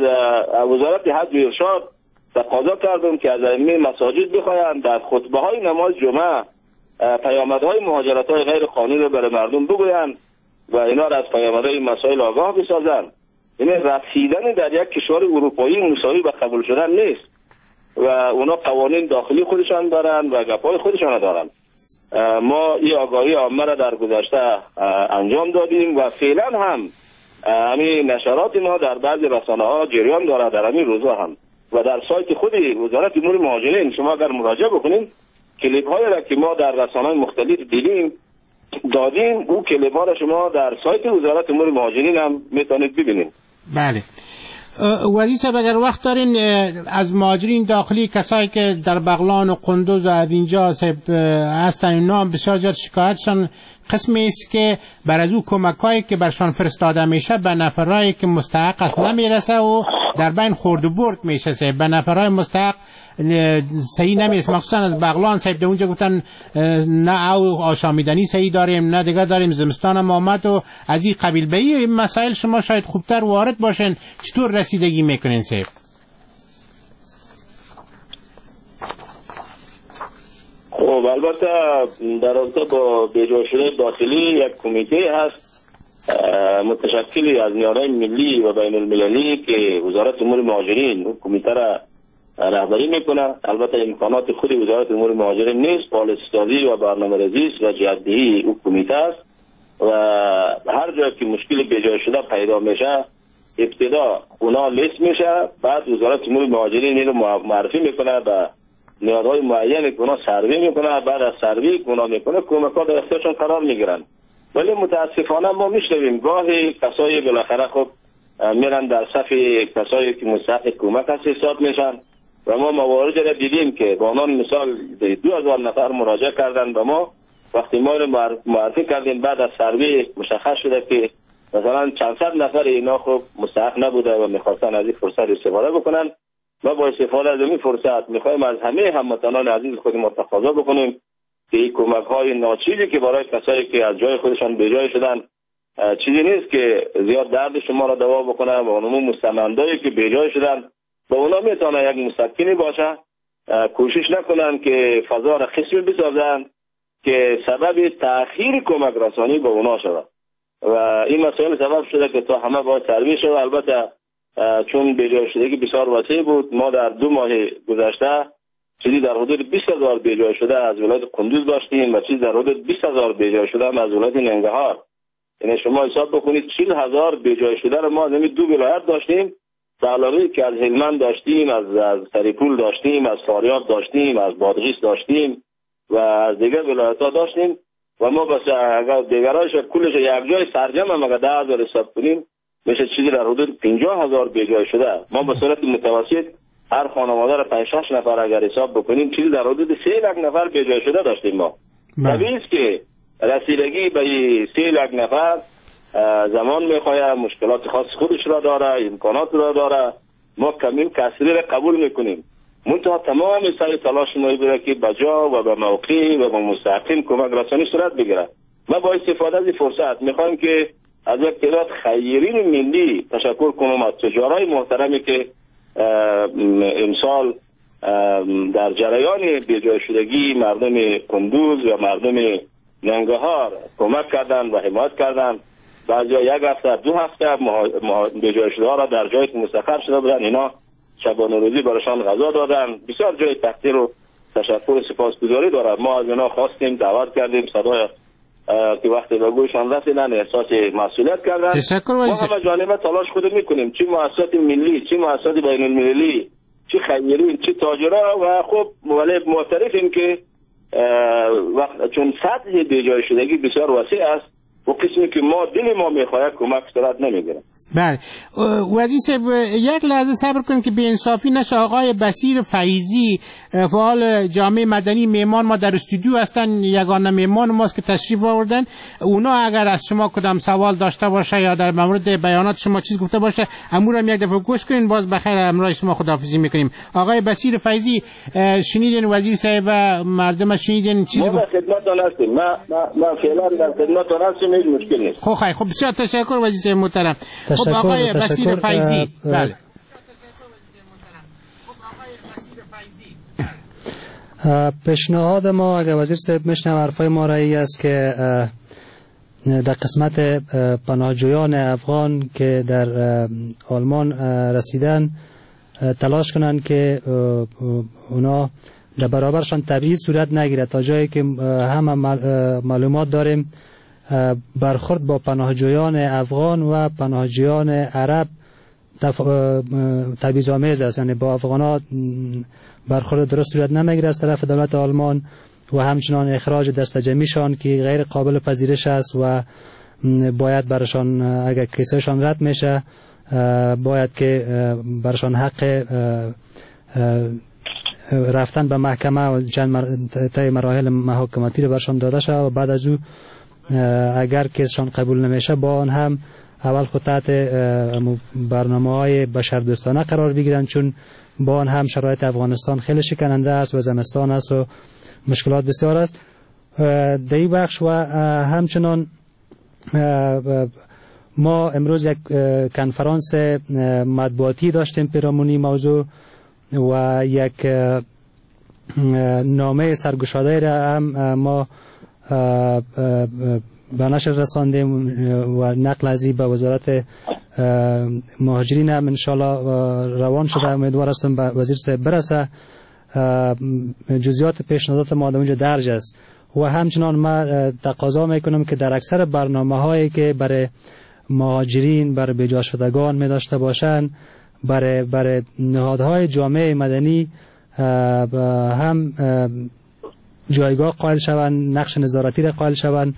وزارت حج و ارشاد تقاضا کردم که از ائمه مساجد بخواهند در خطبه های نماز جمعه پیامدهای مهاجرت های غیر قانونی رو برای مردم بگویند و اینا را از پیامدهای مسائل آگاه بسازند. یعنی رسیدن در یک کشور اروپایی مساوی به قبول شدن نیست و اونا قوانین داخلی خودشان دارن و گپای خودشان دارن. ما این آگاهی عامه را در گذشته انجام دادیم و فعلا هم همین نشرات ما در بعضی رسانه ها جریان داره در همین روزها هم و در سایت خود وزارت امور مهاجرین شما اگر مراجعه بکنید کلیپ هایی را که ما در رسانه های مختلف دیدیم دادیم، او کلیپ ها را شما در سایت وزارت امور مهاجرین هم میتونید ببینید. بله وزیر صاحب اگر وقت دارین از مهاجرین داخلی کسایی که در بغلان و قندوز و از اینجا هستن اینا هم بسیار زیاد شکایتشان قسمی است که بر از او کمکایی که برشان فرستاده میشه به نفرایی که مستحق است نمیرسه و در بین خورد و برد میشه، صاحب به نفرای مستحق صحیح نمیرسه. مخصوصا از بغلان صاحب در اونجا گفتن نه او آشامیدنی صحیح داریم نه دیگه داریم، زمستان هم آمد و از این قبیل. به این مسائل شما شاید خوبتر وارد باشین، چطور رسیدگی میکنین صاحب؟ خب البته در رابطه با بیجا شده داخلی یک کمیته هست متشکلی از نیروهای ملی و بین المللی که وزارت امور مهاجرین اون کمیته را رهبری میکنه. البته امکانات خود وزارت امور مهاجرین نیست، پالیسی سازی و برنامه‌ریزی و جهت‌دهی او کمیته است و هر جا که مشکل بیجا شده پیدا میشه ابتدا اونا لیست میشه، بعد وزارت امور مهاجرین اینو معرفی میکنه به نیازهای معین که اونا سروی میکنه، بعد از سروی که اونا میکنه کمک‌ها در اختیارشون قرار میگیرن. ولی متاسفانه ما میشنویم گاهی کسایی بالاخره خب میرن در صف کسایی که مستحق کمک هست حساب میشن و ما موارد را دیدیم که با عنوان مثال دو هزار نفر مراجعه کردن به ما، وقتی ما رو معرفی کردیم بعد از سروی مشخص شده که مثلا چند صد نفر اینا خب مستحق نبوده و میخواستن از این فرصت استفاده بکنن. ما با استفاده از این فرصت میخوایم از همه هموطنان عزیز خود ما تقاضا بکنیم که این کمک های ناچیزی که برای کسایی که از جای خودشان به جای شدن چیزی نیست که زیاد درد شما را دوا بکنه و اونمو مستمندایی که به جای شدن با اونا میتونه یک مسکنی باشه، کوشش نکنن که فضا را خصمی بسازن که سبب تأخیر کمک رسانی به اونا شود و این مسائل سبب شده که تا همه باید سروی شود. البته چون بیجای شدگی بسیار وسیع بود، ما در دو ماه گذشته چیزی در حدود بیست هزار بیجای شده از ولایت قندوز داشتیم و چیزی در حدود بیست هزار بیجای شده هم از ولایت ننگرهار. یعنی شما حساب بکنید چهل هزار بیجای شده رو ما از همین دو ولایت داشتیم، به علاوه که از هلمند داشتیم، از از سرپل داشتیم، از فاریاب داشتیم، از بادغیس داشتیم و از دیگر ولایت‌ها داشتیم و ما بس اگر دیگرایش کلش یک جای سرجم هم اگر ده هزار حساب کنیم میشه چیزی در حدود پنجاه هزار بیجای شده. ما به صورت متوسط هر خانواده را پنج شش نفر اگر حساب بکنیم چیزی در حدود سه لک نفر بیجای شده داشتیم ما. طبیعی است که رسیدگی به سه لک نفر زمان میخواد، مشکلات خاص خودش را داره، امکانات را داره. ما کمی کسری را قبول میکنیم، منتها تمام سعی تلاش ما بوده که بجا و به موقع و به مستحقین کمک رسانی صورت بگیره. ما با استفاده از این فرصت میخوایم که از یک تعداد خیرین ملی تشکر کنم، از تجارای محترمی که امسال در جریان بیجای شدگی مردم قندوز و مردم ننگرهار کمک کردن و حمایت کردن. بعضیا یک هفته دو هفته بیجای شده ها را در جایی که مستقر شده بودن اینا شبانه روزی برایشان غذا دادن. بسیار جای تقدیر و تشکر و سپاسگزاری دارد. ما از اینا خواستیم، دعوت کردیم، صدای که وقتی به گوششان رسیدن احساس مسئولیت کردن. تشکر. ما همه جانبه تلاش خود میکنیم، چه مؤسسات ملی، چه مؤسسات بین المللی، چه خیرین، چه تاجرها و خب ولی معترفیم که وقت چون سطح بیجای شدگی بسیار وسیع است و قسمی که ما دل ما میخواهد کمک صورت نمیگیره. بله وزیر صاحب یک لحظه صبر کنید که بی‌انصافی نشه. آقای بصیر فیضی فعال جامعه مدنی میمان ما در استودیو هستن، یگانه میمان ماست که تشریف آوردن. اونا اگر از شما کدام سوال داشته باشه یا در مورد بیانات شما چیز گفته باشه امورم یک دفعه گوش کنین، باز بخیر همراه شما خداحافظی میکنیم. آقای بصیر فیضی شنیدین وزیر صاحب مردم شنیدین چیز گفت؟ ما خدمتتون هستیم، ما ما فعلا در خدمتتون هستیم، هیچ مشکل نیست. خب خب بسیار تشکر وزیر صاحب محترم. خب آقای بصیر فیضی، بله پیشنهاد ما اگر وزیر صاحب میشنوه حرفای ما را ای است که در قسمت پناهجویان افغان که در آلمان رسیدن تلاش کنند که اونا در برابرشان تبعیض صورت نگیره. تا جایی که همه معلومات داریم برخورد با پناهجویان افغان و پناهجویان عرب تبعیض آمیز است، یعنی با افغان ها برخورد درست صورت نمیگیره از طرف دولت آلمان و همچنان اخراج دست جمعیشان که غیر قابل پذیرش است و باید برشان اگر کیسهشان رد میشه باید که برشان حق رفتن به محکمه و چند طی مراحل محاکماتی رو برشان داده شود و بعد از او اگر کیسشان قبول نمیشه با آن هم اول خود تحت برنامه های بشردوستانه قرار بگیرن، چون با آن هم شرایط افغانستان خیلی شکننده است و زمستان است و مشکلات بسیار است در این بخش. و همچنان ما امروز یک کنفرانس مطبوعاتی داشتیم پیرامونی موضوع و یک نامه سرگشاده را هم ما به نشر رساندیم و نقل از این به وزارت مهاجرین هم انشالله روان شده. امیدوار هستم به وزیر صاحب برسه. جزئیات پیشنهادات ما در اونجا درج است و همچنان ما تقاضا میکنم که در اکثر برنامه هایی که برای مهاجرین، برای بیجا شدگان می داشته باشند، برای برای نهادهای جامعه مدنی هم جایگاه قائل شوند، نقش نظارتی را قائل شوند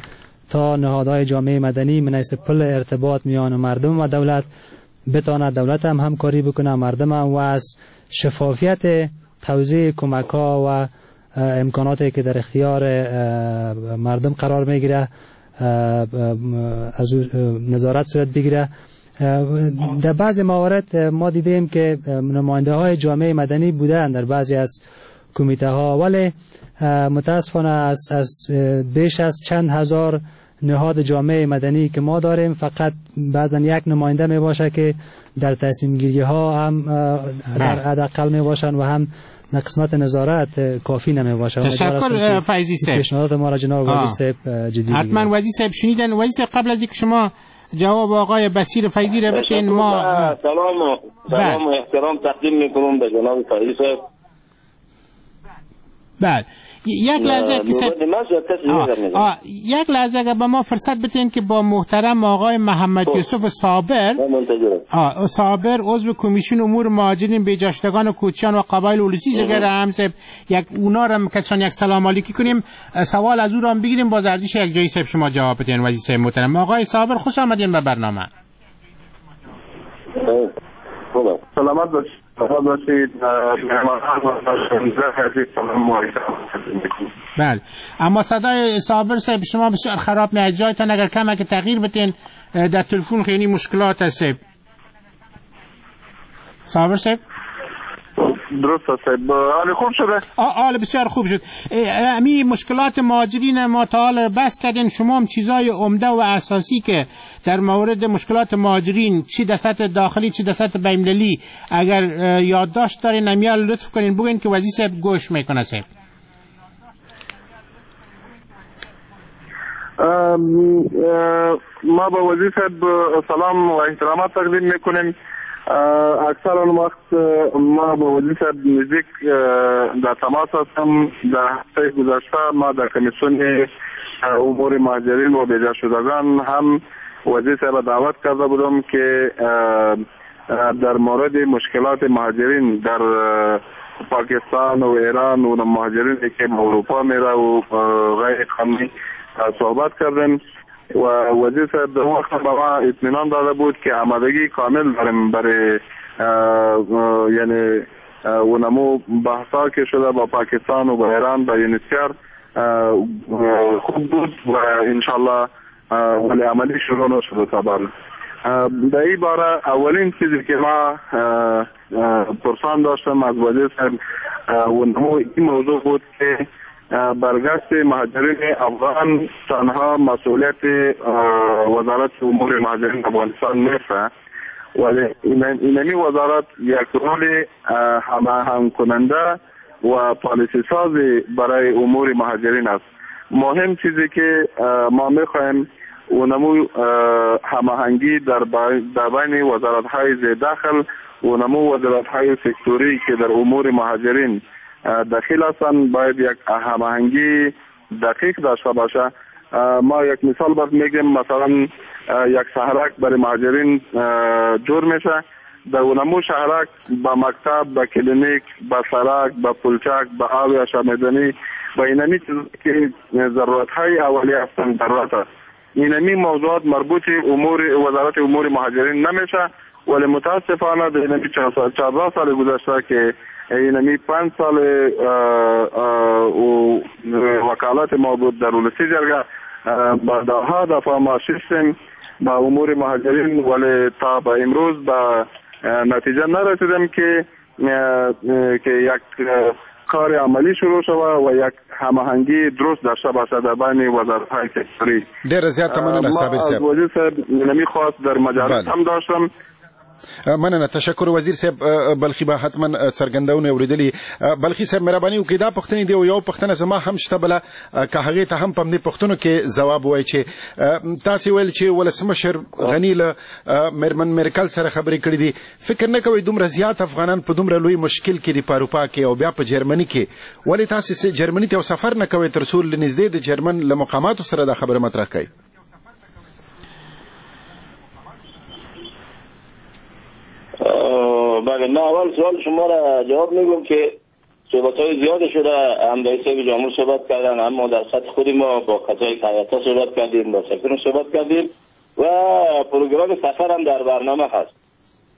تا نهادهای جامعه مدنی من حیث پل ارتباط میان مردم و دولت بتواند دولت هم همکاری بکنه، مردم هم، و از شفافیت توزیع کمک ها و امکاناتی که در اختیار مردم قرار میگیره از نظارت صورت بگیره. در بعضی موارد ما دیدیم که نماینده های جامعه مدنی بودن در بعضی از کمیته ها، ولی متاسفانه از, از بیش از چند هزار نهاد جامعه مدنی که ما داریم فقط بعضا یک نماینده می باشه که در تصمیم گیری ها هم در حداقل می باشن و هم در قسمت نظارت کافی نمی باشه. تشکر فیضی صاحب. پیشنهادات ما را جناب وزیر صاحب جدی حتما وزیر صاحب شنیدن. وزیر صاحب قبل از اینکه شما جواب آقای بصیر فیضی را بدین ما سلام سلام و احترام تقدیم میکنم به جناب فیضی صاحب. بله یک لحظه که آه. یک لحظه اگر به ما فرصت بدین که با محترم آقای محمد یوسف صابر آه. صابر عضو کمیسیون امور مهاجرین بیجاشتگان و کوچیان و قبایل اولوسی جگر هم صاحب یک اونا را کسان یک سلام علیکی کنیم، سوال از او را هم بگیریم، باز اردیش یک جایی صاحب شما جواب بدین. وزیر صاحب محترم آقای صابر خوش آمدین به برنامه. سلامت باشید. بله اما صدای صابر صاحب شما بسیار خراب میاد، جایتان اگر کمک تغییر بدین در تلفن خیلی مشکلات هست. صابر صاحب درست است. حال خوب شده؟ آه بسیار خوب شد. امی مشکلات مهاجرین ما تا حال بس کردین، شما هم چیزای عمده و اساسی که در مورد مشکلات مهاجرین چی در سطح داخلی چی در سطح بین‌المللی اگر یادداشت دارین امیال لطف کنین بگین که وزیر صاحب گوش میکنه. صاحب ما با وزیر صاحب سلام و احترامات تقدیم میکنیم. اکثر آن وقت ما با وزیر صاحب نزدیک در تماس هستم. در هفته گذشته ما در کمیسیون امور مهاجرین و بیجا شدگان هم وزیر صاحب دعوت کرده بودم که در مورد مشکلات مهاجرین در پاکستان و ایران و مهاجرین که به اروپا میره و غیر قانونی صحبت کردیم و وزیر صاحب در وقت به ما اطمینان داده بود که آمادگی کامل داریم برای یعنی اونمو بحثا که شده با پاکستان و با ایران با یونیسیار خوب بود و انشالله ولی عملی شروع نشده تا بال. در این باره اولین چیزی که ما پرسان داشتم از وزیر صاحب اونمو این موضوع بود که برگشت مهاجرین افغان تنها مسئولیت وزارت امور مهاجرین افغانستان نیست، ولی اینمی وزارت یک رول هماهنگ کننده و پالیسی سازی برای امور مهاجرین است. مهم چیزی که ما میخواهیم اونمو هماهنگی در در بین وزارت های ذیدخل و نمو وزارت های سکتوری که در امور مهاجرین دخیل هستند باید یک هماهنگی دقیق داشته باشه. ما یک مثال باید میگیم، مثلا یک شهرک برای مهاجرین جور میشه، در اونمو شهرک با مکتب، با کلینیک، با سرک، با پلچک، با آب آشامیدنی، با اینمی که ضرورت های اولیه هستند ضرورت است. اینمی موضوعات مربوط امور وزارت امور مهاجرین نمیشه، ولی متاسفانه در اینمی چهارده سال گذشته که اینمی پنج سال وکالت ما بود در ولسی جرگه، با ده دفعه ما شستیم با امور مهاجرین، ولی تا به امروز به نتیجه نرسیدیم که که یک کار عملی شروع شود و یک هماهنگی درست داشته باشد در بین وزارت‌های سکتوری. ډېره زیاته مننه صابر صاحب. وزیر صاحب نمی خواست در مجالس هم داشتم. مننه، تشکر وزیر صاحب. بلخي به حتما څرګندونه اورېدلي. بلخي صاحب مهرباني وکړئ، دا پوښتنې دی او یو پوښتنه زما هم شته بله، که هغې ته هم په همدې پوښتنو کې ځواب ووایئ چې تاسې ویل چې ولسمشر غني له میرمن میرکل سره خبرې کړې دي، فکر نه کوئ دومره زیات افغانان په دومره لوی مشکل کې دي په اروپا کې او بیا په جرمني کې، ولې تاسې جرمني ته یو سفر نه کوئ تر څو له نږدې د جرمن له مقاماتو سره دا خبره مطرح کړئ؟ بله، من اول سوال شما را جواب میگم که صحبت های زیاد شده، هم رئیس جمهور صحبت کردن، هم ما در سطح خودی ما با کسایی که هیئت‌ها صحبت کردیم، با سفیر صحبت کردیم و پروگرام سفر هم در برنامه هست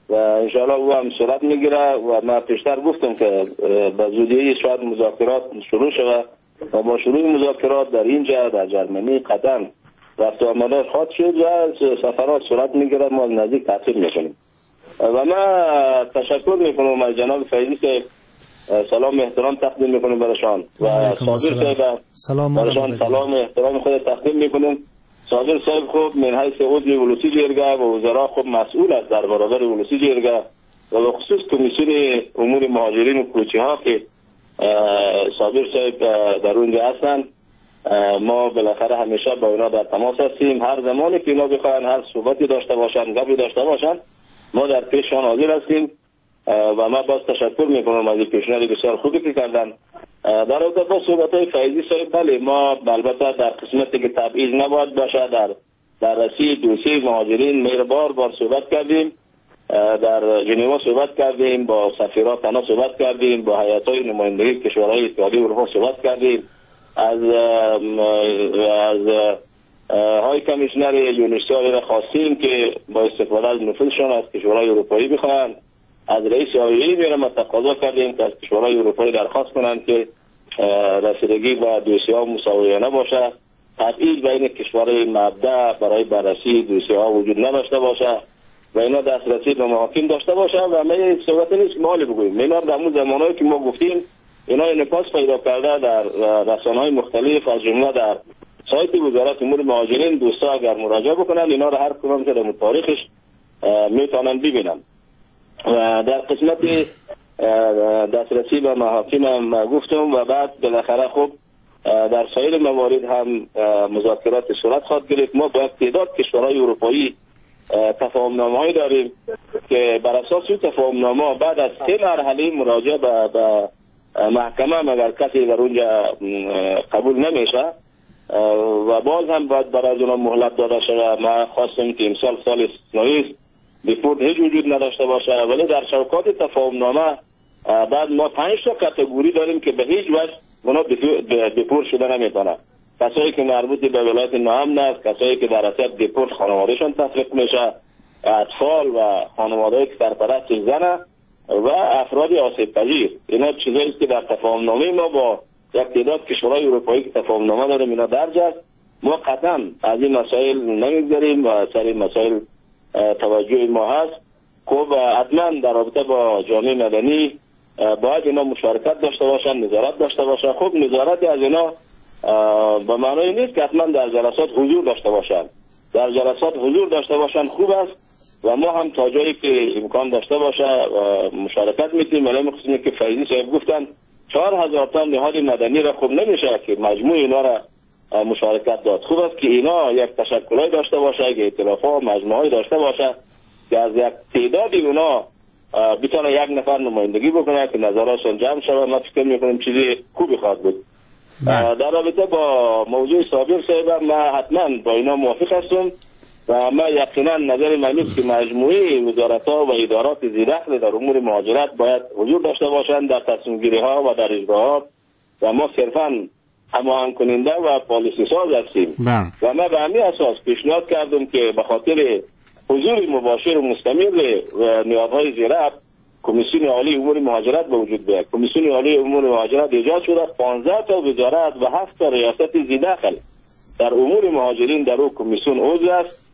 و انشاءالله او هم صورت میگیره و من پیشتر گفتم که به زودی شاید مذاکرات شروع شود و با شروع مذاکرات در اینجا در جرمنی قطعا رفت و آمد خواهد شد و سفرات صورت میگیره، ما نزدیک تعقیب میکنیم. و من تشکر میکنم از جناب فیضی که سلام احترام تقدیم میکنم برایشان و صابر صاحب سلام برایشان سلام احترام خود تقدیم میکنم. صابر صاحب خوب من حیث عضو ولسی جرگه و وزرا خوب مسئول است در برابر ولسی جرگه و به خصوص کمیسیون امور مهاجرین و کوچی ها که صابر صاحب در اونجا هستند. ما بالاخره همیشه با اونا در تماس هستیم، هر زمانی که اینا بخواهند هر صحبتی داشته باشند، گپی داشته باشند، ما در پیششان حاضر هستیم و ما باز تشکر میکنم از این پیشنهاد بسیار خوبی که کردن. در رابطه با صحبت های فیضی صاحب، بله ما البته در قسمتی که تبعیض نباید باشه در بررسی دوسیه مهاجرین میر بار بار صحبت کردیم، در ژنوا صحبت کردیم، با سفیرات تنها صحبت کردیم، با هیئت های نمایندگی کشورهای اتحادیه اروپا صحبت کردیم، از از های کمیشنر یونسیا را خواستیم که با استفاده از نفوذشان از کشورهای اروپایی بخواهند، از رئیس آیی میرم تقاضا کردیم که از کشورهای اروپایی درخواست کنند که رسیدگی با دوسیه ها مساویانه باشه، تبعیض بین کشورهای مبدأ برای بررسی دوسیه ها وجود نداشته باشه و اینا دسترسی به محاکم داشته باشه. و ما صحبت نیست مال بگوییم، اینا در اون زمانهایی که ما گفتیم اینا انعکاس پیدا کرده در رسانه‌های مختلف، از جمله در سایت وزارت امور مهاجرین. دوستا اگر مراجعه بکنن اینا رو هر کدوم که در تاریخش میتونن ببینن. و در قسمت دسترسی به محاکم هم گفتم و بعد بالاخره خب در سایر موارد هم مذاکرات صورت خواهد گرفت. ما با تعداد کشورهای اروپایی تفاهم‌نامه‌ای داریم که بر اساس این تفاهم‌نامه بعد از سه مرحله مراجعه به محکمه مگر کسی در اونجا قبول نمیشه و باز هم باید برای اونا مهلت داده شده. ما خواستیم که امسال سال استثنایی است، دیپورت هیچ وجود نداشته باشه، ولی در چوکات تفاهم‌نامه بعد ما پنج تا category داریم که به هیچ وجه اونا دیپورت شده نمیتونن. کسایی که مربوط به ولایت ناامن است، کسایی که در اثر دیپورت خانوادهشان تفریق میشه، اطفال و خانواده‌ای که سرپرست زنه و افراد آسیب پذیر. اینا چیزایی که در تفاهم‌نامه ما با یک تعداد کشورهای اروپایی که تفاهم‌نامه داریم اینا درج است. ما قطعا از این مسائل نمیگذریم و سر این مسائل توجه ما هست. خب حتما در رابطه با جامعه مدنی باید اینا مشارکت داشته باشن، نظارت داشته باشن. خب نظارت از اینا به معنای نیست که حتما در جلسات حضور داشته باشن. در جلسات حضور داشته باشن خوب است و ما هم تا جایی که امکان داشته باشه مشارکت میتیم. ولی مخصوصا که فیضی صاحب گفتن چهار هزار تا نهاد مدنی را خوب نمیشه که مجموع اینا را مشارکت داد. خوب است که اینا یک تشکلای داشته باشه، یک ائتلاف‌ها و مجموعه‌ای داشته باشه که از یک تعدادی اونا بتونه یک نفر نمایندگی بکنه که نظراتشون جمع شود. ما فکر میکنیم چیزی خوبی خواهد بود. در رابطه با موضوع صابر صاحب ما حتما با اینا موافق هستم و ما یقینا نظر من است که مجموعه وزارت‌ها و ادارات ذی‌دخل در امور مهاجرت باید حضور داشته باشند در تصمیم‌گیری‌ها و در اجراعات و ما صرفاً هماهنگ کننده و پالیسی ساز هستیم. و ما به همین اساس پیشنهاد کردم که به خاطر حضور مباشر و مستمر و نهادهای ذی‌ربط کمیسیون عالی امور مهاجرت به وجود بیاید. کمیسیون عالی امور مهاجرت ایجاد شده، پانزده تا وزارت و هفت تا ریاست ذی‌دخل در امور مهاجرین در او کمیسیون عضو است.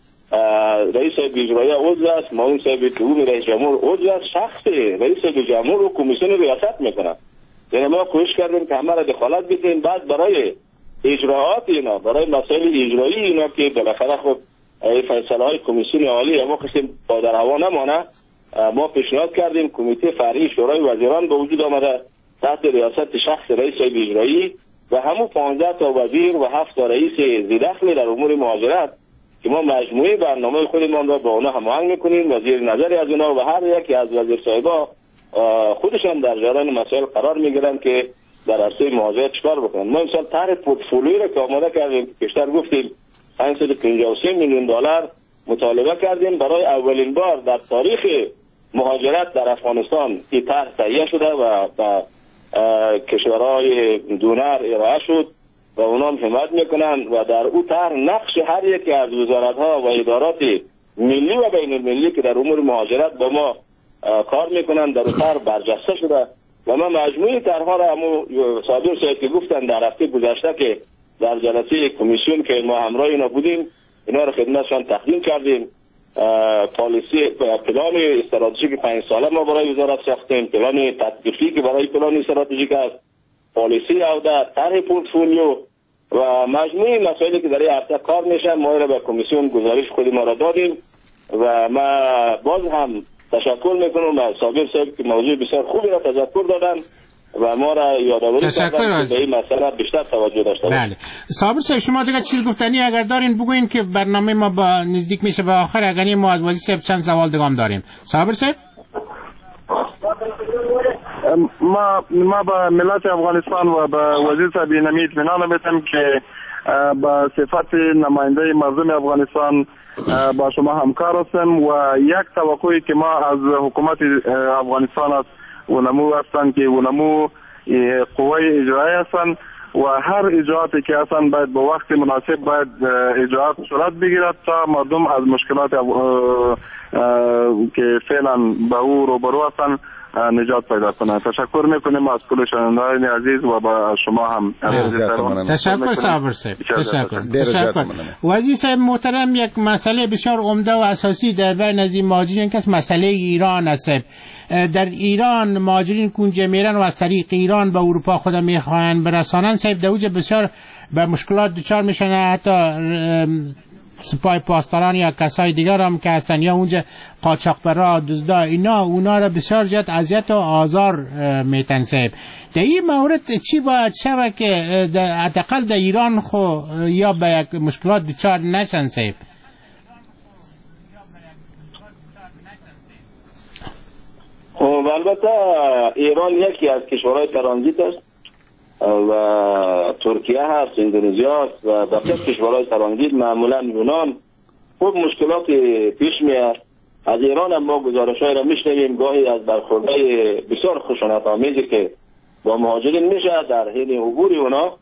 رئیس اجراییه عضو است، معاون صاحب دوم رئیس جمهور عضو است، شخص رئیس جمهور و کمیسیون ریاست میکنه. یعنی ما کوشش کردیم که همه را دخالت بدیم، بعد برای اجراعات اینا، برای مسائل اجرایی اینا که بالاخره خب فیصله های کمیسیون عالی ما قسم با در هوا نمانه، ما پیشنهاد کردیم کمیته فرعی شورای وزیران به وجود آمده تحت ریاست شخص رئیس اجرایی و همون پانزده تا وزیر و هفت تا رئیس ذی‌دخل در امور مهاجرت که ما مجموعه برنامه خودمان را با اونا هماهنگ میکنیم و زیر نظری از اونا و هر یکی از وزیر صاحبا خودشان در جریان مسائل قرار میگیرن که در عرصه مهاجرت چیکار بکنن. ما امسال طرح پورتفولیوی را که آماده کردیم، پیشتر گفتیم پانصد و پنجاه و سه میلیون دلار مطالبه کردیم برای اولین بار در تاریخ مهاجرت در افغانستان این طرح تهیه شده و به کشورهای دونر ارائه شد و اونا هم حمایت میکنن و در او طرح نقش هر یکی از وزارت‌ها و ادارات ملی و بین المللی که در امور مهاجرت با ما کار میکنن در او طرح برجسته شده و ما مجموعه طرح‌ها را همو صابر صاحب که گفتن در هفته گذشته که در جلسه کمیسیون که ما همراه اینا بودیم اینا را خدمتشان تقدیم کردیم. پالیسی پلان استراتژیک پنج ساله ما برای وزارت ساختیم، پلان تطبیقی که برای پلان استراتژیک است، پالیسی عوده، طرح پورتفولیو و مجموعه مسائلی که در این هفته کار میشه ما را به کمیسیون گزارش خود ما را دادیم و ما باز هم تشکر میکنم از صابر صاحب که موضوع بسیار خوبی را تذکر دادن و ما را یادآوری کردن که به این مسئله بیشتر توجه داشته باشیم. بله صابر صاحب شما دیگه چیز گفتنی اگر دارین بگوین که برنامه ما با نزدیک میشه به آخر، اگر ما از وزیر صاحب چند سوال دیگه هم داریم. صابر صاحب ما ما به ملت افغانستان و به وزیر صاحب اینمی اطمینان میتم که به صفت نماینده مردم افغانستان با شما همکار هستم و یک توقعی که ما از حکومت افغانستان است اونمو هستند که اونمو قوای اجرایی هستند و هر اجراعاتی که هستند باید به وقت مناسب باید اجراعات صورت بگیرد تا مردم از مشکلات که فعلا به او روبرو هستند نجات پیدا کنند. تشکر میکنیم از کل شنوندگان عزیز و با شما هم. تشکر صابر صاحب. تشکر. تشکر. وزیر صاحب محترم، یک مسئله بسیار عمده و اساسی در بین از این مهاجرین که مسئله ایران است. در ایران مهاجرین کنجه میرن و از طریق ایران به اروپا خود میخواهند برسانند صاحب، در اوج بسیار به مشکلات دچار میشن، حتی سپاه پاسداران یا کسای دیگر هم که هستن یا اونجا قاچاقبرا دزدا اینا اونا را بسیار زیاد اذیت و آزار میتن صاحب. در این مورد چی باید شود که حداقل در ایران خو یا به یک مشکلات دچار نشن صاحب؟ خب البته ایران یکی از کشورهای ترانزیت است و ترکیه هست، اندونزیا هست و بقیه کشورهای ترانزیت، معمولا یونان. خوب مشکلات پیش میاد. از ایران هم ما گزارش‌های را میشنویم، گاهی از برخوردهای بسیار خشونت‌آمیزی که با مهاجرین میشه در حین عبور اونا.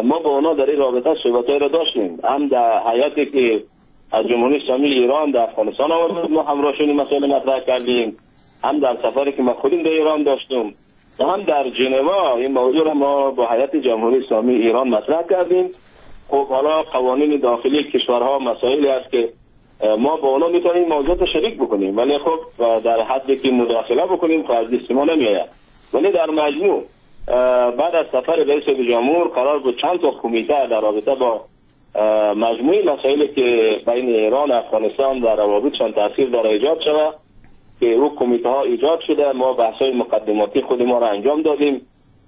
ما با اونا در این رابطه صحبت‌های را داشتیم، هم در هیئتی که از جمهوری اسلامی ایران در افغانستان آورد ما همراهشون این مسائل مطرح کردیم، هم در سفری که ما خودیم در ایران داشتیم و هم در ژنوا این موضوع را ما با هیئت جمهوری اسلامی ایران مطرح کردیم. خب حالا قوانین داخلی کشورها مسائلی است که ما با اونا میتونیم موضوع رو شریک بکنیم، ولی خب در حدی که مداخله بکنیم خب از دست ما نمیآید. ولی در مجموع بعد از سفر رئیس جمهور قرار بود چند تا کمیته در رابطه با مجموعه مسائلی که بین ایران و افغانستان و روابطشان تاثیر داره ایجاد شود که او کمیته ها ایجاد شده. ما بحث های مقدماتی خود ما را انجام دادیم.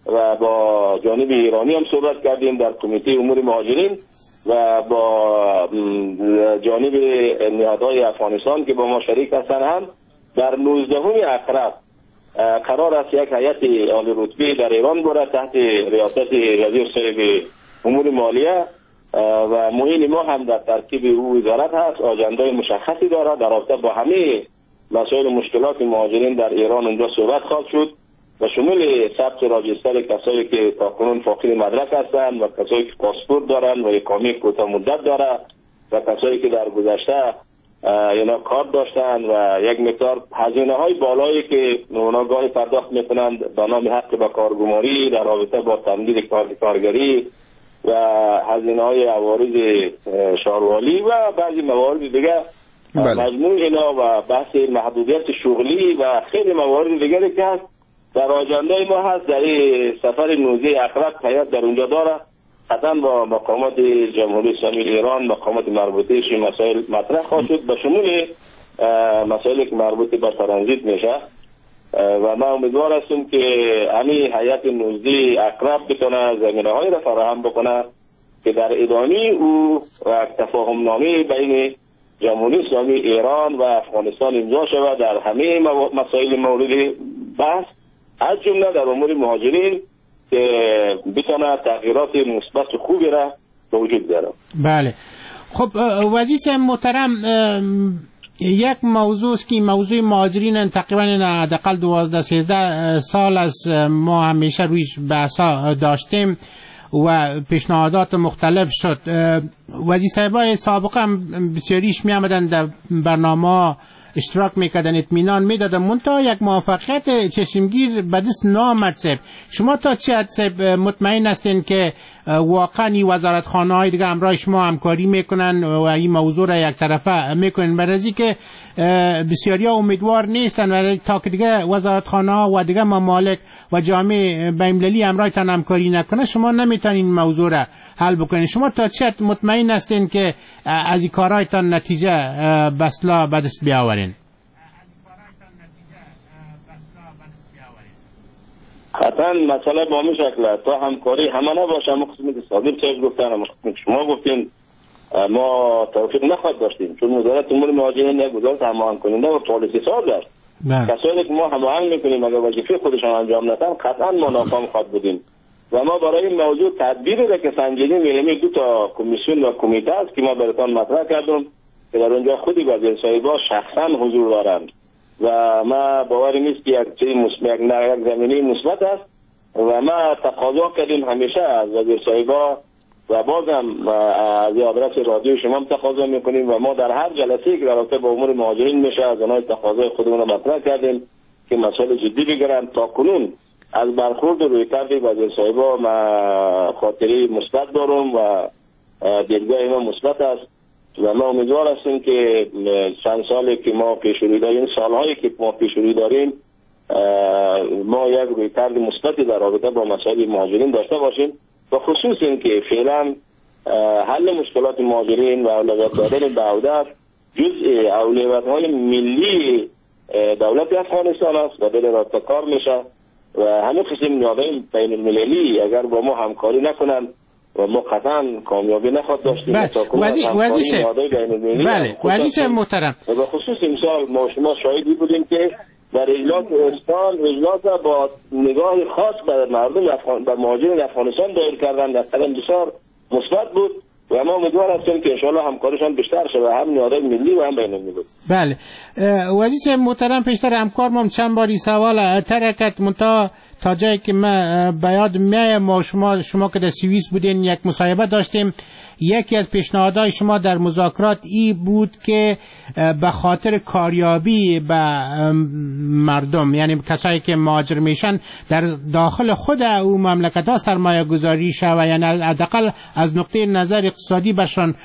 و با جانب ایرانی هم صحبت کردیم در کمیته امور مهاجرین و با جانب نهادهای افغانستان که با ما شریک هستند هم در نوزدهم عقرب قرار است یک هیئت عالی رتبه در ایران بره تحت ریاست وزیر صاحب امور مالیه و معین ما هم در ترکیب او وزارت هست، آجندای مشخصی داره در رابطه با همه مسائل مشکلات مهاجرین در ایران اونجا صحبت خواهد شد و شمول ثبت راجستر کسایی که تاکنون فاقد مدرک هستند و کسایی که پاسپورت دارند و اقامه کوتاه مدت داره و کسایی که در گذشته اینا کار داشتن و یک مقدار هزینه های بالایی که اونا گاهی پرداخت میکنند به نام حق به کارگماری در رابطه با تمدید کار کارگری و هزینه های عوارض شاروالی و بعضی موارد دیگه، بله. مجموع اینا و بحث محدودیت شغلی و خیلی موارد دیگری که هست در آجندای ما هست. در سفر نوزده عقرب هیئت در اونجا داره، قطعا با مقامات جمهوری اسلامی ایران، مقامات مربوطه مسائل مطرح خواهد شد به شمول مسائلی که مربوط به ترانزیت میشه و ما امیدوار هستیم که همین هیئت نوزده عقرب بتونه زمینه های را فراهم بکنه که در ادامه او و تفاهم نامه بین جمهوری اسلامی ایران و افغانستان امضا شود در همه مسائل مورد بحث از جمله در امور مهاجرین که بتونه تغییرات مثبت خوبی را به وجود بیاره. بله. خب وزیر محترم، یک موضوع است که موضوع مهاجرین تقریبا حداقل دوازده سیزده سال از ما همیشه رویش بحثا داشتیم و پیشنهادات مختلف شد. وزیر صاحبای سابقه هم بسیاریش می آمدن در برنامه اشتراک میکردن، اطمینان میدادن، منتها یک موفقیت چشمگیر به دست نامد. صاحب شما تا چه حد صاحب مطمئن هستین که واقعا این وزارتخانه های دیگه همراه شما همکاری میکنن و این موضوع را یک طرفه میکنن؟ برای که بسیاری ها امیدوار نیستن و تا که دیگه وزارتخانه ها و دیگه ممالک و جامعه بین‌المللی همراهتان همکاری نکنه شما نمیتونین موضوع را حل بکنین. شما تا چه حد مطمئن هستین که از این کارهایتان نتیجه به اصطلاح به دست بیاورین؟ قطعا مسئله با همین شکل تا همکاری همه نباشه، همه قسمی که صادق صاحب گفتن، همه قسمی که شما گفتین، ما توفیق نخواهد داشتیم، چون وزارت امور مهاجرین یک وزارت هماهنگ کننده و پالیسی ساز است. کسایی که ما هماهنگ میکنیم اگر وظیفه خودشان انجام ندن قطعا ما ناکام خواهد بودیم و ما برای این موضوع تدبیری را که سنجیدیم، یعنی دو تا کمیسیون و کمیته است که ما براتان مطرح کردم که در اونجا خودی وزیر صاحبا شخصا حضور دارند و ما باور نیست که یک چیز مثبت، یک زمینه مثبت است و ما تقاضا کردیم همیشه از وزیر صاحبا و بازم از آدرس رادیو شما هم تقاضا میکنیم و ما در هر جلسه که در رابطه با امور مهاجرین میشه از آنها تقاضای خودمون رو مطرح کردیم که مسائل جدی بگیرن. تا کنون از برخورد رویکرد وزیر صاحبا ما خاطره مثبت دارم و دیدگاه ما مثبت است و ما امیدوار هستیم که چند سالی که ما پیش روی داریم، سالهایی که ما پیش روی داریم، ما یک رویکرد مثبتی در رابطه با مسائل مهاجرین داشته باشیم و خصوص اینکه فعلا حل مشکلات مهاجرین و اولویت دادن به عودت جزء اولویت‌های ملی دولت افغانستان است و دل رابطه کار میشه و همین قسم نهادهای بین المللی اگر با ما همکاری نکنند و ما قطعا کامیابی نخواهد داشتیم. بله وزیر بله وزیر محترم، و به خصوص امسال ما شما شاهدی بودیم که در اجلاس استان اجلاس با نگاه خاص به مردم افغان به مهاجرین افغانستان دایر کردن در قدم بسیار مثبت بود و ما امیدوار هستیم که انشاءالله همکاریشان بیشتر شود، هم نهادهای ملی و هم بین‌المللی. بله وزیر محترم، پیشتر همکار ما چند باری سوال ترکت منتها تا جایی که من به یاد میایم ما شما شما که در سوئیس بودین یک مصاحبه داشتیم، یکی از پیشنهادهای شما در مذاکرات ای بود که به خاطر کاریابی به مردم، یعنی کسایی که مهاجر میشن در داخل خود او مملکت ها سرمایه گذاری شود، یعنی حداقل از نقطه نظر اقتصادی برشان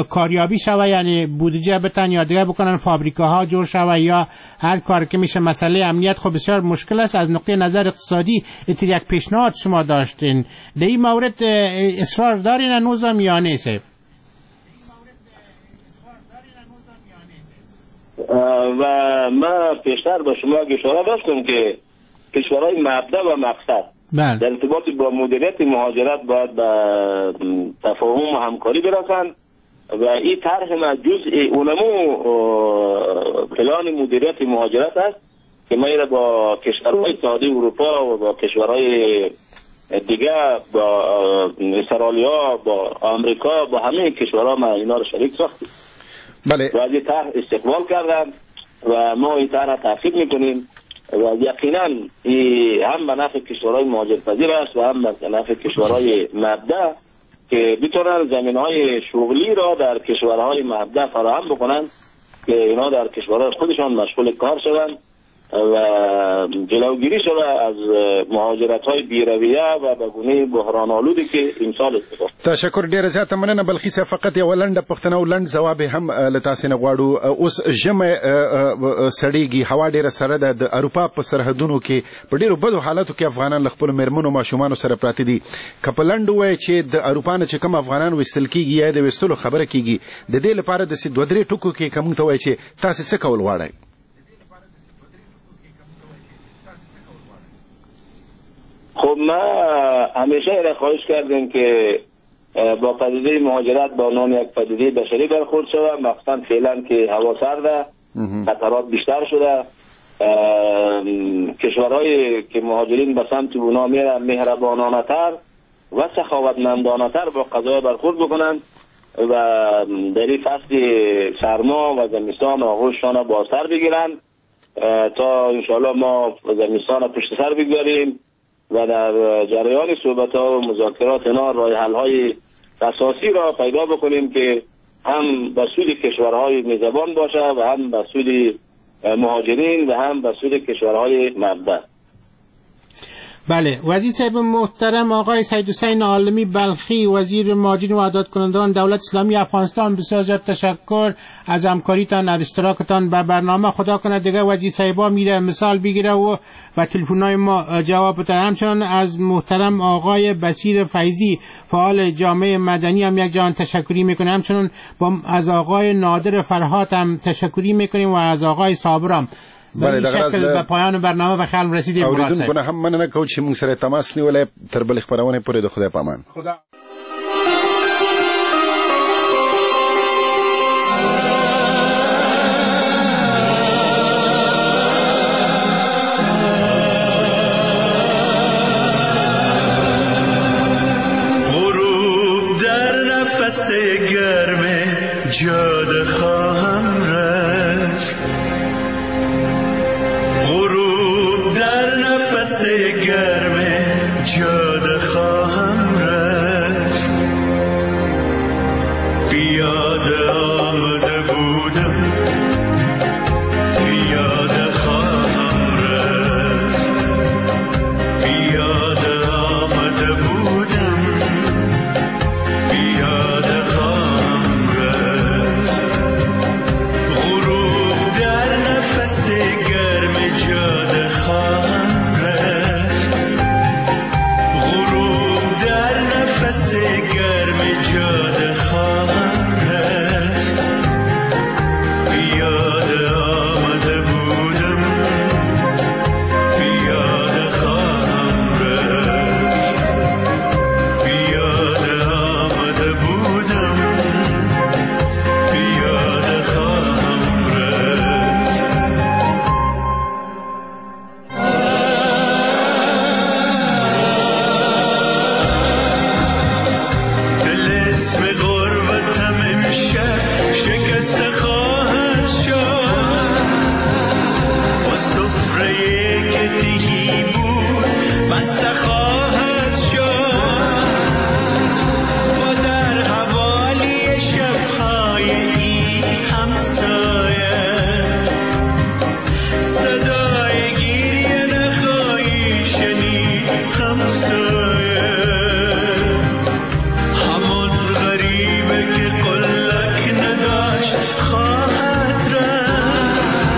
کاریابی شود، یعنی بودجه بتن یا دیگه بکنن، فابریکه ها جور شود یا هر کار که میشه. مسئله امنیت خب بسیار مشکل است، از نقطه نظر اقتصادی یک پیشنهاد شما داشتین، در این مورد اصرار دارین هنوزم یا نه؟ و ما پیشتر با شما اشاره داشتم که کشورهای مبدا و مقصد، بله. در ارتباط با مدیریت مهاجرت باید به تفاهم و همکاری برسند و این طرح ما جزء اونمو پلان مدیریت مهاجرت است که ما را با کشورهای اتحادیه اروپا و با کشورهای دیگه، با استرالیا، با آمریکا، با همه کشورها ما اینا رو شریک ساختیم. بله. و از این طرح استقبال کردم و ما این طرح تعقیب میکنیم و یقینا هم به نفع کشورهای مهاجرپذیر است و هم به نفع کشورهای مبدأ که بتونن زمینهای شغلی را در کشورهای مبدأ فراهم بکنن که اینا در کشورهای خودشان مشغول کار شوند و جلوگیری شود از مهاجرت‌های بی‌رویه و به گونه بحران آلودی که امسال اتفاق. تشکر ډیره زیاته مننه بلخي صاحب. فقط یوه لنډه پوښتنه او لنډ ځواب هم له تاسې نه غواړو. اوس ژمی سړیږي، هوا ډیره سړه ده، د اروپا په سرحدونو کې په ډیرو بدو حالاتو کې افغانان له خپلو میرمنو ماشومانو سره پراته دي. که په لنډ ووایې چې د اروپا نه چې کوم افغانان ویستل کیږي یا د ویستلو خبره کیږي، د دې لپاره داسې دوه درې ټکو کې که موږ ته ووایې چې تاسې څه کول غواړئ؟ خب ما همیشه را خواهش کردیم که با پدیده مهاجرت با نام یک پدیده بشری برخورد شود، مخصوصا فعلا که هوا سرده، خطرات بیشتر شده، کشورهایی که مهاجرین به سمت اونا میرن مهربانانه تر و سخاوتمندانه تر با قضایا برخورد بکنند و در این فصل سرما و زمستان آغوششان با سر بگیرند تا انشاءالله ما زمستان پشت سر بگذاریم و در جریان صحبت‌ها و مذاکرات اینا راه حل‌های اساسی را پیدا بکنیم که هم به سود کشورهای میزبان باشه و هم به سود مهاجرین و هم به سود کشورهای مبدأ. بله. وزیر صاحب محترم آقای سید حسین عالمی بلخی، وزیر مهاجرین و عادت کنندگان دولت اسلامی افغانستان، بسیار زیاد تشکر از همکاریتان، از اشتراکتان به برنامه. خدا کنه دیگه وزیر صاحبا میره مثال بگیره و به تلفن‌های ما جواب بده. همچنان از محترم آقای بصیر فیضی، فعال جامعه مدنی، هم یک جهان تشکری میکنیم. همچنان با از آقای نادر فرهاد هم تشکری میکنیم و از آقای صابرم. بله، دغه راز به پایان برنامه به خیال رسیدیم. اوریدونکو نه هم مننه کوو چې موږ سره تماس نیولی. تر بلې خپرونې پورې د خدای په امان. خدا غروب در نفس گرم جاده خواهم رفت، غروب در نفس گرم جاده خواهم رفت، پیاده آمده بودم پیاده خواهم رفت، پیاده آمده بودم پیاده خواهم رفت، غروب در نفس گرم جاده خواهم رفت، غروب در نفس گرم جاده خواهم رفت، پیاده آمده بودم پیاده خواهم رفت، پیاده آمده بودم پیاده خواهم رفت. طلسم غربتم امشب شکسته خواهد شد، با سفره که تهی بود بسته خواهد شد، و در حوالی شبهای این همسایه صدای گریه نخواهی شنید همسایه، همان غریبه که قلک نداشت خواهد رفت،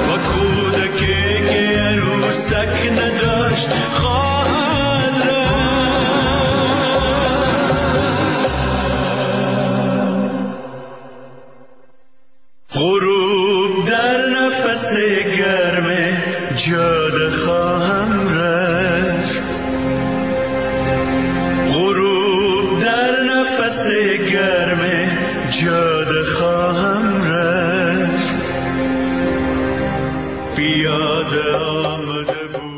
و کودکی که عروسک نداشت خواهد رفت. غروب در نفس گرم جاده خواهم رفت. نفس گرم جاده خواهم رفت، پیاده